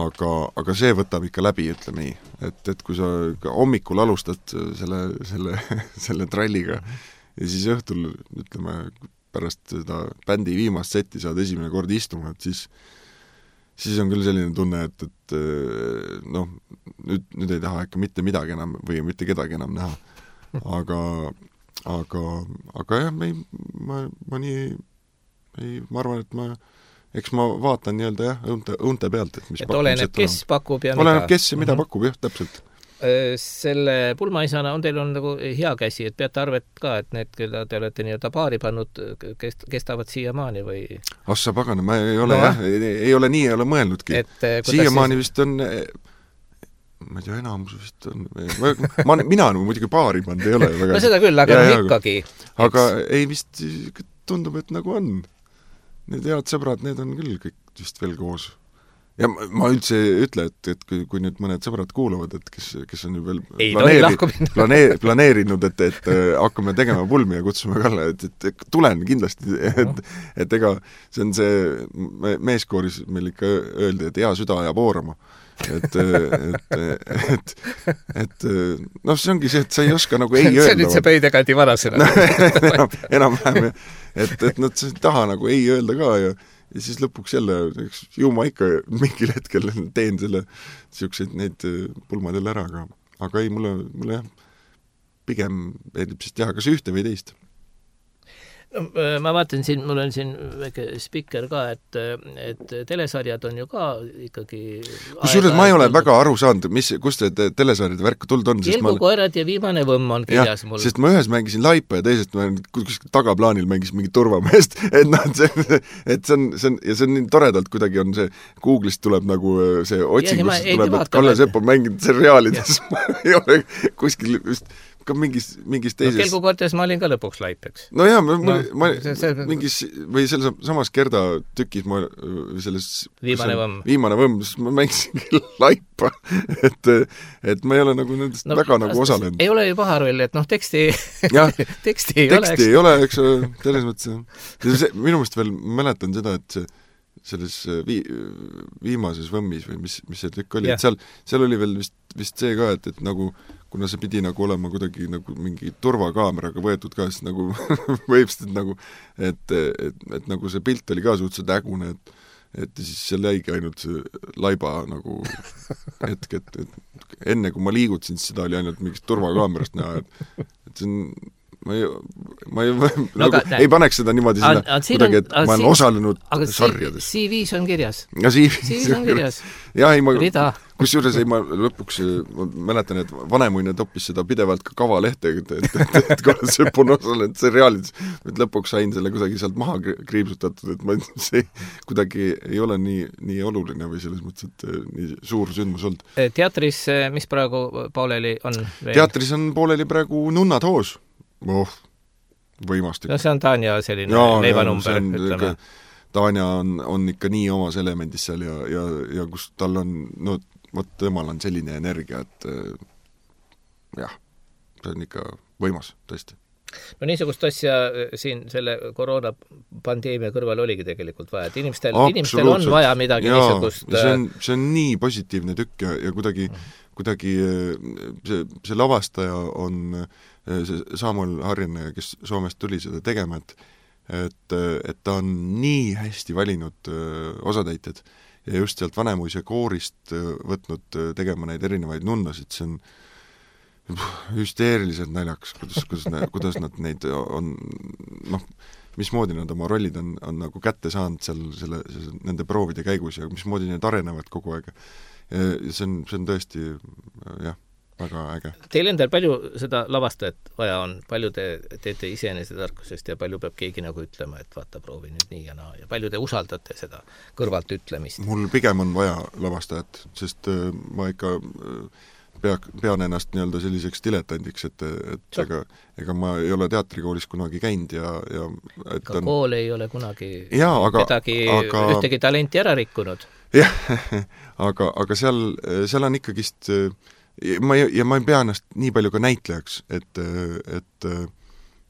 aga, aga see võtab ikka läbi, ütleme nii. Et, et kui sa hommikul alustad selle, selle, selle tralliga ja siis õhtul, ütleme, pärast seda bändi viimast setti saad esimene kord istuma, et siis, siis on küll selline tunne, et, et noh, nüüd, nüüd ei taha ikka mitte midagi enam või mitte kedagi enam näha. Aga, aga, aga jah, me ei, ma, ma nii ei, ma arvan, et ma eks ma vaatan nii-öelda jah, õunte, õunte pealt, et mis et oleneb, kes on. Pakub ja oleneb, mida. kes ja mida mm -hmm. pakub, jah, täpselt. Selle pulmaisana on teil on nagu hea käsi, et peate arvet ka, et need, keda te olete nii-öelda paari pannud, kes, kestavad siiamaani või? Assa pagana, ma ei ole no, jah, ei, ei ole nii, ei ole mõelnudki. Siiamaani siis... vist on, ma ei tea, enamus vist on, ma, ma, mina nagu muidugi paari pannud ei ole. Väga... no seda küll, aga ja, no ikkagi. Aga ei vist tundub, et nagu on. Need head sõbrad, need on küll kõik vist veel koos. Ja ma, ma üldse ütle, et, et kui, kui nüüd mõned sõbrad kuulavad, et kes, kes on ju veel planeeri, planeer, planeerinud, et, et hakkame tegema pulmi ja kutsume Kalle, et, et, et tulen kindlasti, et, et ega see on see meeskooris meil ikka öeldi, et hea süda ajab oorama. Et, et, et, et noh, see ongi see, et sa ei oska nagu ei öelda. See on nüüd see pöidekandi varasena. enam, enam vähem, et, et nad ei taha nagu ei öelda ka ja, ja siis lõpuks jälle, eks ju ma ikka mingil hetkel teen selle siukseid neid pulmadel ära, aga, aga ei, mulle, mulle jah, pigem meeldib siis teha kas ühte või teist. No, ma vaatan siin, mul on siin väike spikker ka, et, et telesarjad on ju ka ikkagi kusjuures ma ei ole väga aru saanud, mis, kust see telesarjade värk tuld on. Kelgukoerad ma... ja viimane võmm on kirjas ja, mul. Sest ma ühes mängisin laipa ja teisest ma kuskil tagaplaanil mängisin mingi turvameest, et noh, see, et see on, see on, ja see on nii toredalt, kuidagi on see, Google'ist tuleb nagu see otsingus, tuleb, et Kalle Sepp on mänginud seriaalides, ma ei ole kuskil just ka mingis, mingis teises... No Kelgukoertes ma olin ka lõpuks laip, eks? No jaa, ma, no, ma see, see... mingis, või selles samas Gerda tükis ma selles... Viimane võmm. Viimane võmm, sest ma mängisin laipa, et, et ma ei ole nagu nendest no, väga nagu osalenud. Ei ole ju paha roll, et noh, teksti, ja, teksti ei teksti ole, eks? Ei ole, eks selles mõttes. Minu meelest veel mäletan seda, et see selles vii, viimases võmmis või mis, mis see tükk oli, yeah. et seal, seal oli veel vist, vist see ka, et, et nagu kuna see pidi nagu olema kuidagi nagu mingi turvakaameraga võetud ka, siis nagu võipstud nagu, et, et, et nagu see pilt oli ka suhteliselt ägune, et, et siis seal jäigi ainult see laiba nagu hetk, et, et enne kui ma liigutasin, siis seda oli ainult mingist turvakaamerast näha, et, et see on ma ei, ma ei, no, nagu, aga, ei paneks seda niimoodi sinna a, a, kuidagi, et ma olen siin, osalenud sarjades. C V-s on kirjas. Ja C V-s on kirjas. Ja ei, ma, kus juures ei, ma lõpuks ma mäletan, et vanemuine toppis seda pidevalt ka kavalehte, et, et, et, et kui see on osalenud seriaalides, et lõpuks sain selle kuidagi sealt maha kriipsutatud, et ma see kuidagi ei ole nii, nii oluline või selles mõttes, et nii suur sündmus olnud. Teatris, mis praegu pooleli on? Veel? Teatris on pooleli praegu Nunnad hoos. Oh, võimastik. No see on Tanja selline ja, leivanumber, ütleme. Tanja on, on ikka nii omas elemendis seal ja, ja, ja kus tal on, no vot temal on selline energia, et jah, see on ikka võimas, tõesti. no niisugust asja siin selle koroonapandeemia kõrval oligi tegelikult vaja, et inimestel, inimestel on vaja midagi Jaa, niisugust see on, see on nii positiivne tükk ja, ja kuidagi, kuidagi see, see lavastaja on see Samuel Harjanne, kes Soomest tuli seda tegema, et et, et ta on nii hästi valinud osatäitjad ja just sealt Vanemuise koorist võtnud tegema neid erinevaid nunnasid, see on hüsteeriliselt naljakas, kuidas, kuidas, ne, kuidas nad neid on, noh, mismoodi nad oma rollid on, on nagu kätte saanud seal selle, selle, nende proovide käigus ja mismoodi need arenevad kogu aeg. Ja see on, see on tõesti, jah, väga äge. Teil endal palju seda lavastajat vaja on, palju te teete iseenese tarkusest ja palju peab keegi nagu ütlema, et vaata, proovi nüüd nii ja naa ja palju te usaldate seda kõrvalt ütlemist? Mul pigem on vaja lavastajat, sest äh, ma ikka äh, Pea, pean ennast nii-öelda selliseks diletandiks, et, et ega, ega ma ei ole teatrikoolis kunagi käinud ja, ja et ka on... kool ei ole kunagi ja, aga, kedagi, aga... ühtegi talenti ära rikkunud. Jah, aga, aga seal, seal on ikkagist ma ei, ja ma ei pea ennast nii palju ka näitlejaks, et, et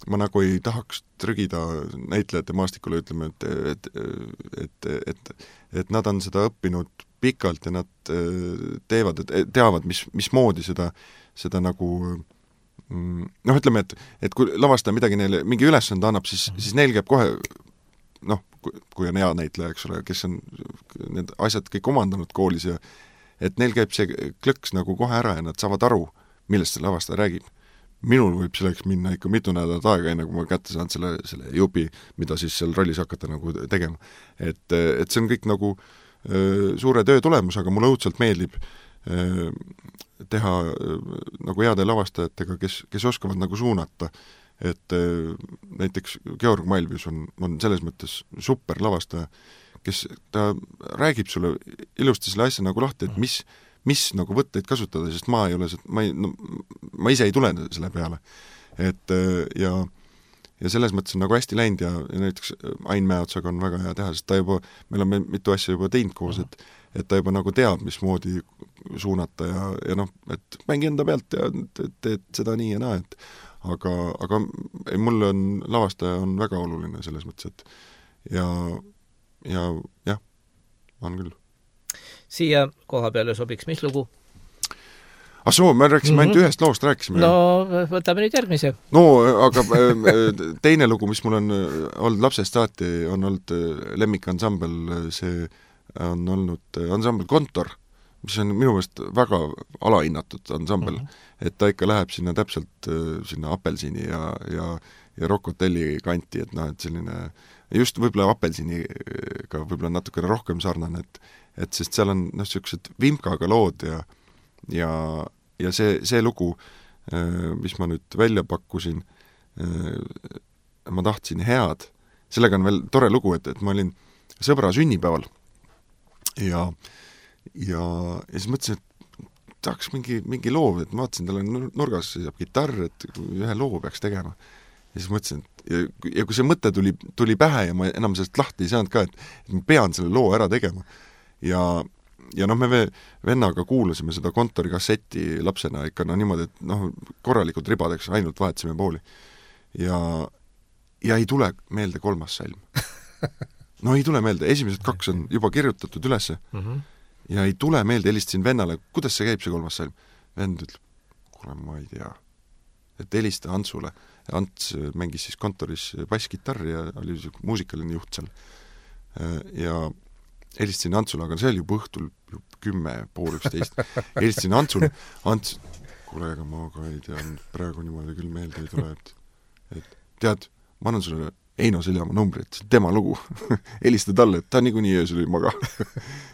ma nagu ei tahaks trügida näitlejate maastikule, ütleme, et, et, et, et, et nad on seda õppinud pikalt ja nad teevad, teavad, mis, mismoodi seda, seda nagu noh, ütleme, et, et kui lavastaja midagi neile, mingi ülesande annab, siis, siis neil käib kohe noh, kui on hea näitleja, eks ole, kes on need asjad kõik omandanud koolis ja et neil käib see klõks nagu kohe ära ja nad saavad aru, millest see lavastaja räägib. Minul võib selleks minna ikka mitu nädalat aega, enne kui ma kätte saan selle, selle jupi, mida siis seal rollis hakata nagu tegema. Et, et see on kõik nagu suure töö tulemus, aga mulle õudselt meeldib teha nagu heade lavastajatega, kes, kes oskavad nagu suunata, et näiteks Georg Malvius on, on selles mõttes super lavastaja, kes ta räägib sulle ilusti selle asja nagu lahti, et mis, mis nagu võtteid kasutada, sest ma ei ole, ma, ei, no, ma ise ei tule selle peale. Et ja ja selles mõttes on nagu hästi läinud ja, ja näiteks Ain Mäeotsaga on väga hea teha, sest ta juba, meil on mitu asja juba teinud koos, et, et ta juba nagu teab, mismoodi suunata ja, ja noh, et mängi enda pealt ja teed seda nii ja naa, et aga, aga ei, mulle on, lavastaja on väga oluline selles mõttes, et ja, ja jah, on küll. Siia koha peale sobiks mis lugu? Ah soo, me rääkisime mm-hmm. ainult ühest loost, rääkisime. No, võtame nüüd järgmise. No, aga teine lugu, mis mul on olnud lapsest saati, on olnud lemmikansambel, see on olnud ansambel Kontor, mis on minu meelest väga alahinnatud ansambel, mm-hmm. et ta ikka läheb sinna täpselt sinna Apelsini ja, ja, ja Rock Hotelli kanti, et noh, et selline, just võib-olla Apelsiniga võib-olla natukene rohkem sarnane, et, et sest seal on noh, sellised vimkaga lood ja ja, ja see, see lugu, mis ma nüüd välja pakkusin, ma tahtsin head, sellega on veel tore lugu, et, et ma olin sõbra sünnipäeval ja, ja, ja siis mõtlesin, et tahaks mingi, mingi loo, et ma vaatasin, tal on nurgas seisab kitarr, et ühe loo peaks tegema. Ja siis mõtlesin, et ja, ja kui see mõte tuli, tuli pähe ja ma enam sellest lahti ei saanud ka, et, et ma pean selle loo ära tegema ja ja noh, me vennaga kuulasime seda Kontori kasseti lapsena ikka no niimoodi, et noh, korralikult ribadeks ainult vahetasime pooli. Ja, ja ei tule meelde kolmas salm. No ei tule meelde, esimesed kaks on juba kirjutatud ülesse mm-hmm. ja ei tule meelde, helistasin vennale, kuidas see käib see kolmas salm. Vend ütleb, kuule ma ei tea, et helista Antsule. Ants mängis siis Kontoris basskitarri ja oli muusikaline juht seal. Ja helistasin Antsule, aga see oli juba õhtul kümme, pool üksteist. Helistasin Antsule, Ants, kuule, ega ma ka ei tea, praegu niimoodi küll meelde ei tule, et, et tead, ma annan sulle Eino Seljamaa numbri, et see tema lugu. Helista talle, et ta niikuinii öösel ei maga.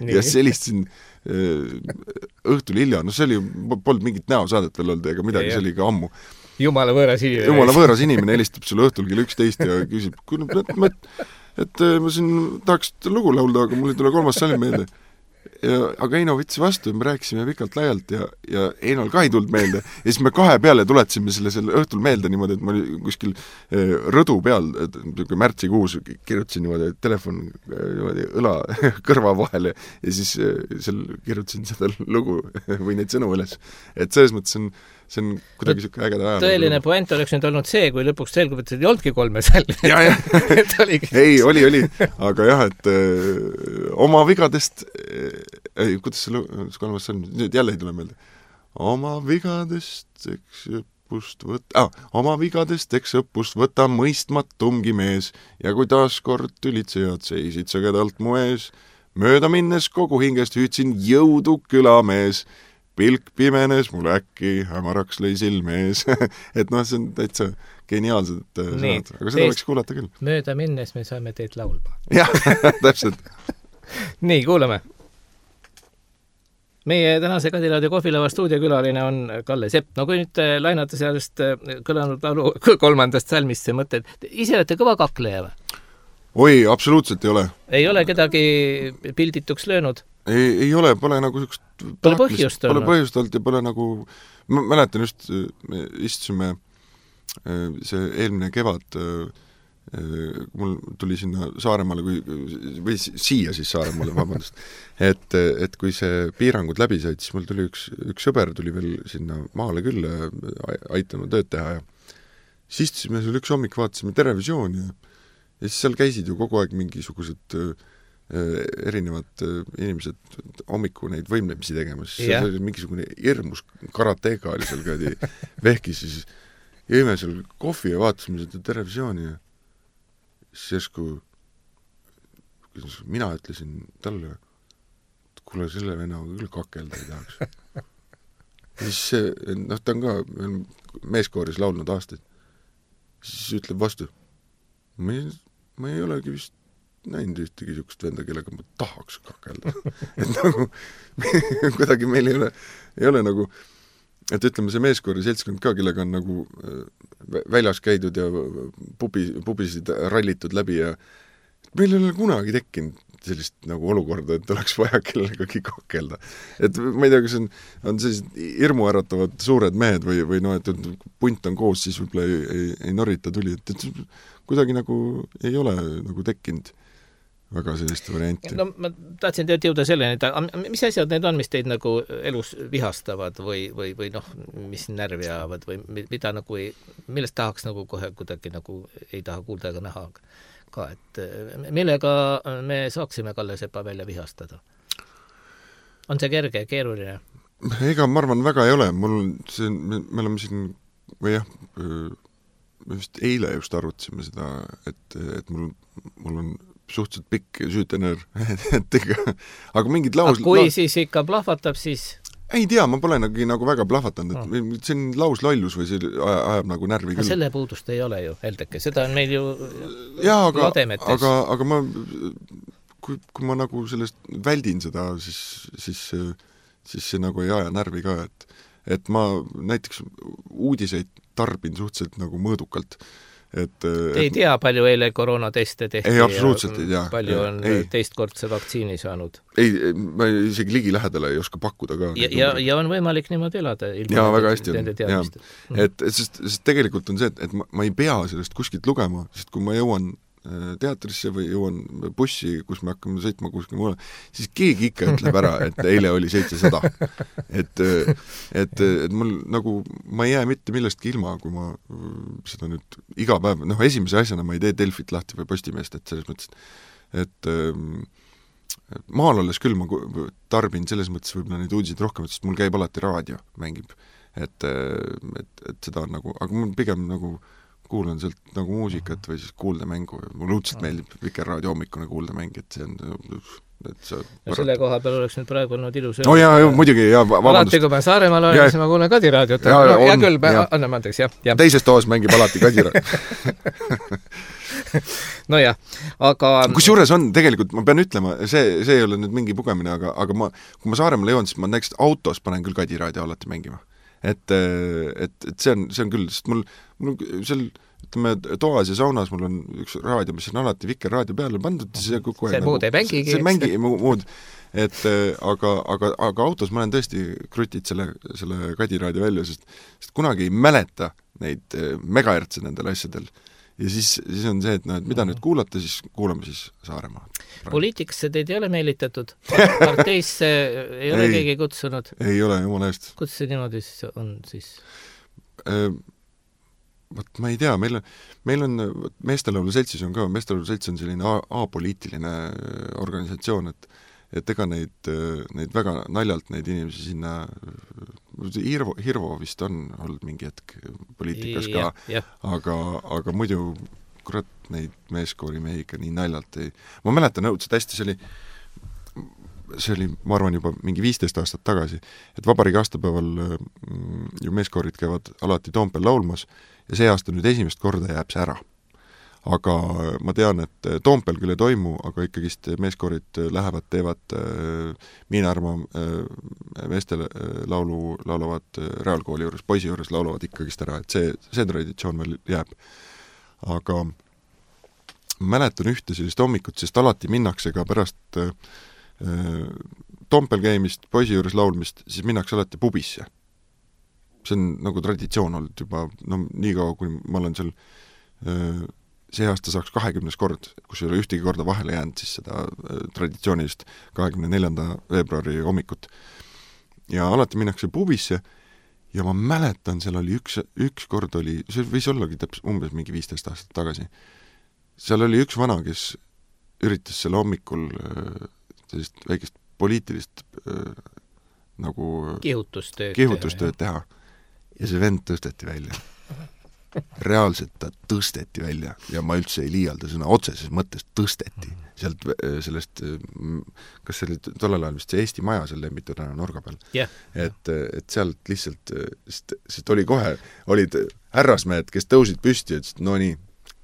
Ja siis helistasin õhtul hilja, no see oli, polnud mingit näosaadet veel olnud ega midagi, see oli ka ammu. Jumala võõras inimene. Jumala võõras inimene helistab sulle õhtul kell üksteist ja küsib, kuule, ma et ma siin tahaks lugu laulda, aga mul ei tule kolmas salm meelde. Ja, aga Eino võttis vastu ja me rääkisime pikalt laialt ja, ja Einol ka ei tulnud meelde. Ja siis me kahe peale tuletasime selle, selle õhtul meelde niimoodi, et ma olin kuskil rõdu peal, et märtsikuus kirjutasin niimoodi telefon niimoodi õla kõrva vahele ja siis seal kirjutasin seda lugu või neid sõnu üles. Et selles mõttes on, see on kuidagi siuke ägeda ajalugu. Tõeline point oleks nüüd olnud see, kui lõpuks selgub, et see ei olnudki kolme salmi. Ja, ja. ei, oli, oli. Aga jah, et öö, oma vigadest, ei, kuidas see kolmas salm, nüüd jälle ei tule meelde. Oma vigadest, eks õppust võtta, ah, oma vigadest, eks õppust võtta mõistmatumgi mees ja kui taaskord tülitsejad seisid sõgedalt mu ees, mööda minnes kogu hingest hüüdsin jõudu külamees. Pilk pimenes, mul äkki hämaraks lõi silme ees. et noh, see on täitsa geniaalsed sõnad, aga seda võiks kuulata küll. Mööda minnes me saame teid laulma. jah, täpselt. nii, kuulame. Meie tänase Kadiraadio kohvilava stuudiokülaline on Kalle Sepp. No kui nüüd lainata sellest kõlanud laulu kolmandast salmist see mõte, et ise olete kõva kakleja või? Oi, absoluutselt ei ole. Ei ole kedagi pildituks löönud? Ei, ei ole, pole nagu sükst pole põhjust olnud. Pole põhjust olnud ja pole nagu, ma mäletan just, me istusime see eelmine kevad, mul tuli sinna Saaremaale, kui, või siia siis Saaremaale, vabandust, et, et kui see piirangud läbi said, siis mul tuli üks, üks sõber tuli veel sinna maale küll aitanud tööd teha ja siis istusime seal üks hommik, vaatasime Televisiooni ja, ja siis seal käisid ju kogu aeg mingisugused erinevad inimesed hommiku neid võimlemisi tegemas, siis yeah. oli mingisugune hirmus karatega oli seal käidi vehkis, siis jõime seal kohvi ja vaatasime seda Televisiooni ja siis järsku mina ütlesin talle, et kuule, selle vennaga küll kakelda ei tahaks. ja siis see, noh, ta on ka meeskooris laulnud aastaid, siis ütleb vastu, ma ei, ma ei olegi vist näinud ühtegi sükust venda, kellega ma tahaks kakelda. et nagu kuidagi meil ei ole, ei ole nagu, et ütleme, see meeskoori seltskond ka, kellega on nagu väljas käidud ja pubi, pubisid rallitud läbi ja meil ei ole kunagi tekkinud sellist nagu olukorda, et oleks vaja kellegagi kakelda. Et ma ei tea, kas on, on sellised hirmu äratavad suured mehed või, või no, et punt on koos, siis võib-olla ei, ei, ei norita tuli, et, et kuidagi nagu ei ole nagu tekkinud väga sellist varianti. No ma tahtsin tead jõuda selleni, et mis asjad need on, mis teid nagu elus vihastavad või, või, või noh, mis närvi ajavad või mida nagu ei, millest tahaks nagu kohe kuidagi nagu ei taha kuulda ega näha ka, et millega me saaksime Kalle Sepa välja vihastada? On see kerge, keeruline? Ega ma arvan väga ei ole, mul see, me, me oleme siin või jah, me vist eile just arutasime seda, et, et mul, mul on suhteliselt pikk süütenöör, et ega, aga mingid laus... Aga kui laus... siis ikka plahvatab, siis... Ei tea, ma pole nagu, nagu väga plahvatanud, et no. see on lauslollus või see ajab nagu närvi küll. Selle puudust ei ole ju, Heldeke, seda on meil ju jaa, aga, lademetes. Aga, aga ma, kui, kui ma nagu sellest väldin seda, siis, siis, siis see nagu ei aja närvi ka, et, et ma näiteks uudiseid tarbin suhteliselt nagu mõõdukalt. Et, Te ei tea, palju eile koroonateste tehti? Ei, absoluutselt ei tea. Palju ja, on ei. teistkordse vaktsiini saanud? Ei, ma isegi ligi lähedale ei oska pakkuda ka. Ja, ja, ja on võimalik niimoodi elada. Jaa, väga hästi on. Et, et sest, sest tegelikult on see, et, et ma, ma ei pea sellest kuskilt lugema, sest kui ma jõuan teatrisse või jõuan bussi, kus me hakkame sõitma kuskil mulle, siis keegi ikka ütleb ära, et eile oli seitsesada. Et, et, et mul nagu, ma ei jää mitte millestki ilma, kui ma seda nüüd iga päev, noh, esimese asjana ma ei tee Delfit lahti või Postimeest, et selles mõttes, et, et maal olles küll ma tarbin selles mõttes võib-olla neid uudiseid rohkem, sest mul käib alati raadio, mängib. Et, et, et seda on nagu, aga mul pigem nagu kuulan sealt nagu muusikat või siis kuuldemängu. Mul õudselt meeldib Vikerraadio hommikune kuuldemäng, et see on... Et see ja selle koha peal oleks nüüd praegu olnud ilus... No jaa, muidugi, jaa, vabandust. Alati, kui ma Saaremaal olen, siis ma kuulen Kadiraadiot. Ja, no, ja küll, anname andeks, jah. Ja. Teises toas mängib alati Kadiraadiot. no jah, aga... Kus juures on, tegelikult, ma pean ütlema, see, see ei ole nüüd mingi pugemine, aga, aga ma, kui ma Saaremaal jõuan, siis ma näiteks autos panen küll Kadiraadio alati mängima. Et, et, et see on, see on küll, sest mul, mul seal, ütleme, toas ja saunas mul on üks raadio, mis on alati Vikerraadio peale pandud, see kogu aeg... See muud ei mängigi. See mängi muud, et aga, aga, aga autos ma olen tõesti krutid selle, selle Kadiraadio välja, sest, sest kunagi ei mäleta neid megahertse nendel asjadel. ja siis, siis on see, et noh, et mida nüüd kuulata, siis kuulame siis Saaremaa. Poliitikasse teid ei ole meelitatud? Parteisse ei ole ei, keegi kutsunud? Ei ole, jumala eest. Kus see niimoodi on siis? Võt, ma ei tea, meil on, meil on Meestelaulu seltsis on ka, Meestelaulu selts on selline apoliitiline organisatsioon, et et ega neid, neid väga naljalt neid inimesi sinna Hirvo, Hirvo vist on olnud mingi hetk poliitikas ka, ja, ja. aga, aga muidu kurat neid meeskoori mehi ikka nii naljalt ei... Ma mäletan õudselt hästi, see oli see oli, ma arvan, juba mingi viisteist aastat tagasi, et vabariigi aastapäeval ju meeskoorid käivad alati Toompel laulmas ja see aasta nüüd esimest korda jääb see ära. Aga ma tean, et Toompel küll ei toimu, aga ikkagist meeskoorid lähevad, teevad Miinarma meestele laulu, laulavad reaalkooli juures, poisi juures laulavad ikkagist ära, et see, see traditsioon veel jääb. Aga mäletan ühte sellist hommikut, sest alati minnakse ka pärast Toompel käimist, poisi juures laulmist, siis minnakse alati pubisse. See on nagu traditsioon olnud juba, no nii kaua, kui ma olen seal see aasta saaks kahekümnes kord, kus ei ole ühtegi korda vahele jäänud siis seda traditsioonilist kahekümne neljanda veebruari hommikut. Ja alati minnakse pubisse ja ma mäletan, seal oli üks, üks kord oli, see võis ollagi täpselt umbes mingi viisteist aastat tagasi. Seal oli üks vana, kes üritas selle hommikul sellist väikest poliitilist äh, nagu kihutustööd, kihutustööd teha. Ja see vend tõsteti välja. Reaalselt ta tõsteti välja ja ma üldse ei liialda sõna otseses mõttes tõsteti. Sealt sellest, kas see oli tollel ajal vist see Eesti Maja seal Lembitu täna nurga peal. Yeah. Et, et sealt lihtsalt, sest, sest oli kohe, olid härrasmehed, kes tõusid püsti ja ütlesid, no nii,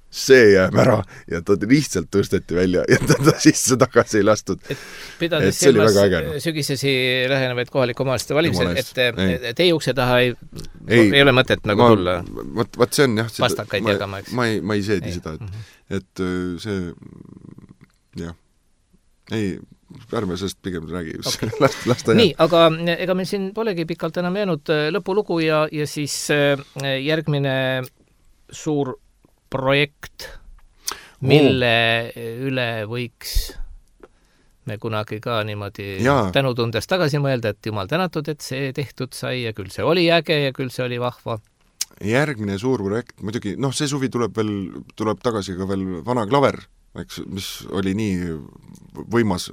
see jääb ära ja ta lihtsalt tõsteti välja ja ta, ta sisse tagasi ei lastud. Et pidades et silmas sügisesi lähenevaid kohaliku omaaliste valimised, et ei. Teie ukse taha ei, ei, ei ole mõtet nagu ma, tulla võt, võt see on jah, vastakaid ma, jagama, eks? Ma ei, ma ei seedi ei. seda, et, mm-hmm. et see jah, ei, ärme sellest pigem räägi okay. last, lasta nii, aga ega meil siin polegi pikalt enam jäänud lõpulugu ja, ja siis järgmine suur projekt, mille oh. üle võiks me kunagi ka niimoodi ja. Tänutundes tagasi mõelda, et jumal tänatud, et see tehtud sai ja küll see oli äge ja küll see oli vahva. Järgmine suur projekt, muidugi, noh, see suvi tuleb veel, tuleb tagasi ka veel Vana Klaver, eks, mis oli nii võimas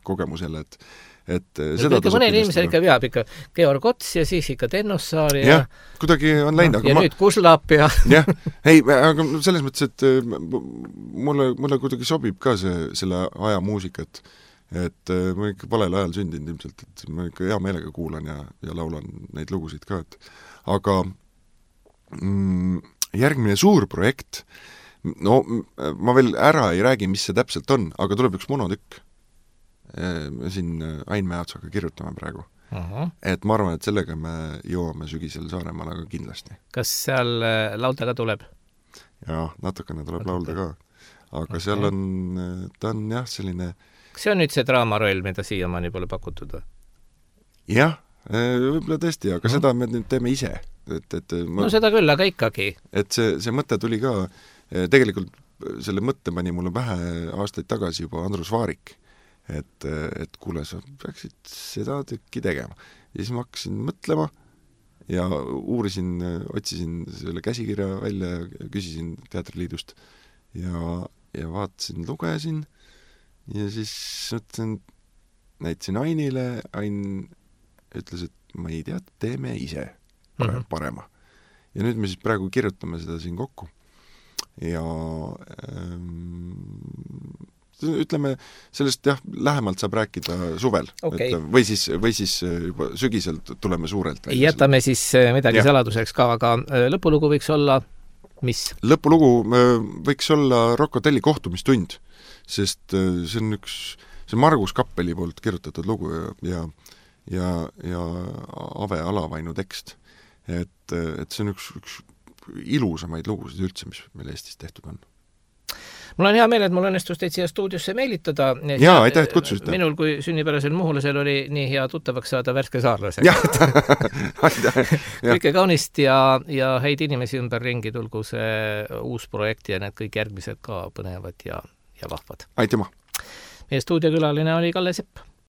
kogemus jälle, et et seda mõne inimesel ikka veab ikka Georg Ots ja siis ikka Tennossaar ja jah, kuidagi on läinud, no, ja ma... nüüd Kuslap ja jah, ei, aga selles mõttes, et mulle, mulle kuidagi sobib ka see, selle aja muusika, et et ma ikka valel ajal sündinud ilmselt, et ma ikka hea meelega kuulan ja, ja laulan neid lugusid ka, et aga mm, järgmine suur projekt, no ma veel ära ei räägi, mis see täpselt on, aga tuleb üks monotükk. Me siin Ain Mäeotsaga kirjutame praegu. Uh-huh. Et ma arvan, et sellega me jõuame sügisel Saaremaale ka kindlasti. Kas seal laulda ka tuleb? Jaa, natukene tuleb laulda ka. Aga okay. Seal on, ta on jah selline... Kas see on nüüd see draamaroll, mida siiamaani pole pakutud? Jah, võib-olla tõesti, aga uh-huh. seda me nüüd teeme ise. Et, et ma... No seda küll, aga ikkagi. Et see, see mõte tuli ka, tegelikult selle mõtte pani mulle pähe aastaid tagasi juba Andrus Vaarik. Et, et kuule, sa peaksid seda tükki tegema. Ja siis ma hakkasin mõtlema ja uurisin, otsisin selle käsikirja välja ja küsisin Teatriliidust ja, ja vaatasin, lugesin ja siis mõtlesin, näitasin Ainile, Ain ütles, et ma ei tea, teeme ise parema. parema. Ja nüüd me siis praegu kirjutame seda siin kokku ja ähm, ütleme, sellest jah, lähemalt saab rääkida suvel. Okay. Et, või, siis, või siis juba sügisel tuleme suurelt. Jätame siis midagi ja. Saladuseks ka, aga lõpulugu võiks olla mis? Lõpulugu võiks olla Rocco Telli kohtumistund, sest see on üks, see on Margus Kappeli poolt kirjutatud lugu ja, ja, ja Ave Alavainu tekst. Et, et see on üks, üks ilusamaid lugusid üldse, mis meil Eestis tehtud on. mul on hea meel, et mul õnnestus teid siia stuudiosse meelitada. Jaa, aitäh, et kutsusite. Minul kui sünnipärasel muhulasel oli nii hea tuttavaks saada värske saarlasega. Jah, aitäh. Kõike kaunist ja, ja häid inimesi ümber ringi, tulgu see uus projekt ja need kõik järgmised ka põnevad ja, ja vahvad. Aitüma. Meie stuudiokülaline oli Kalle Sepp.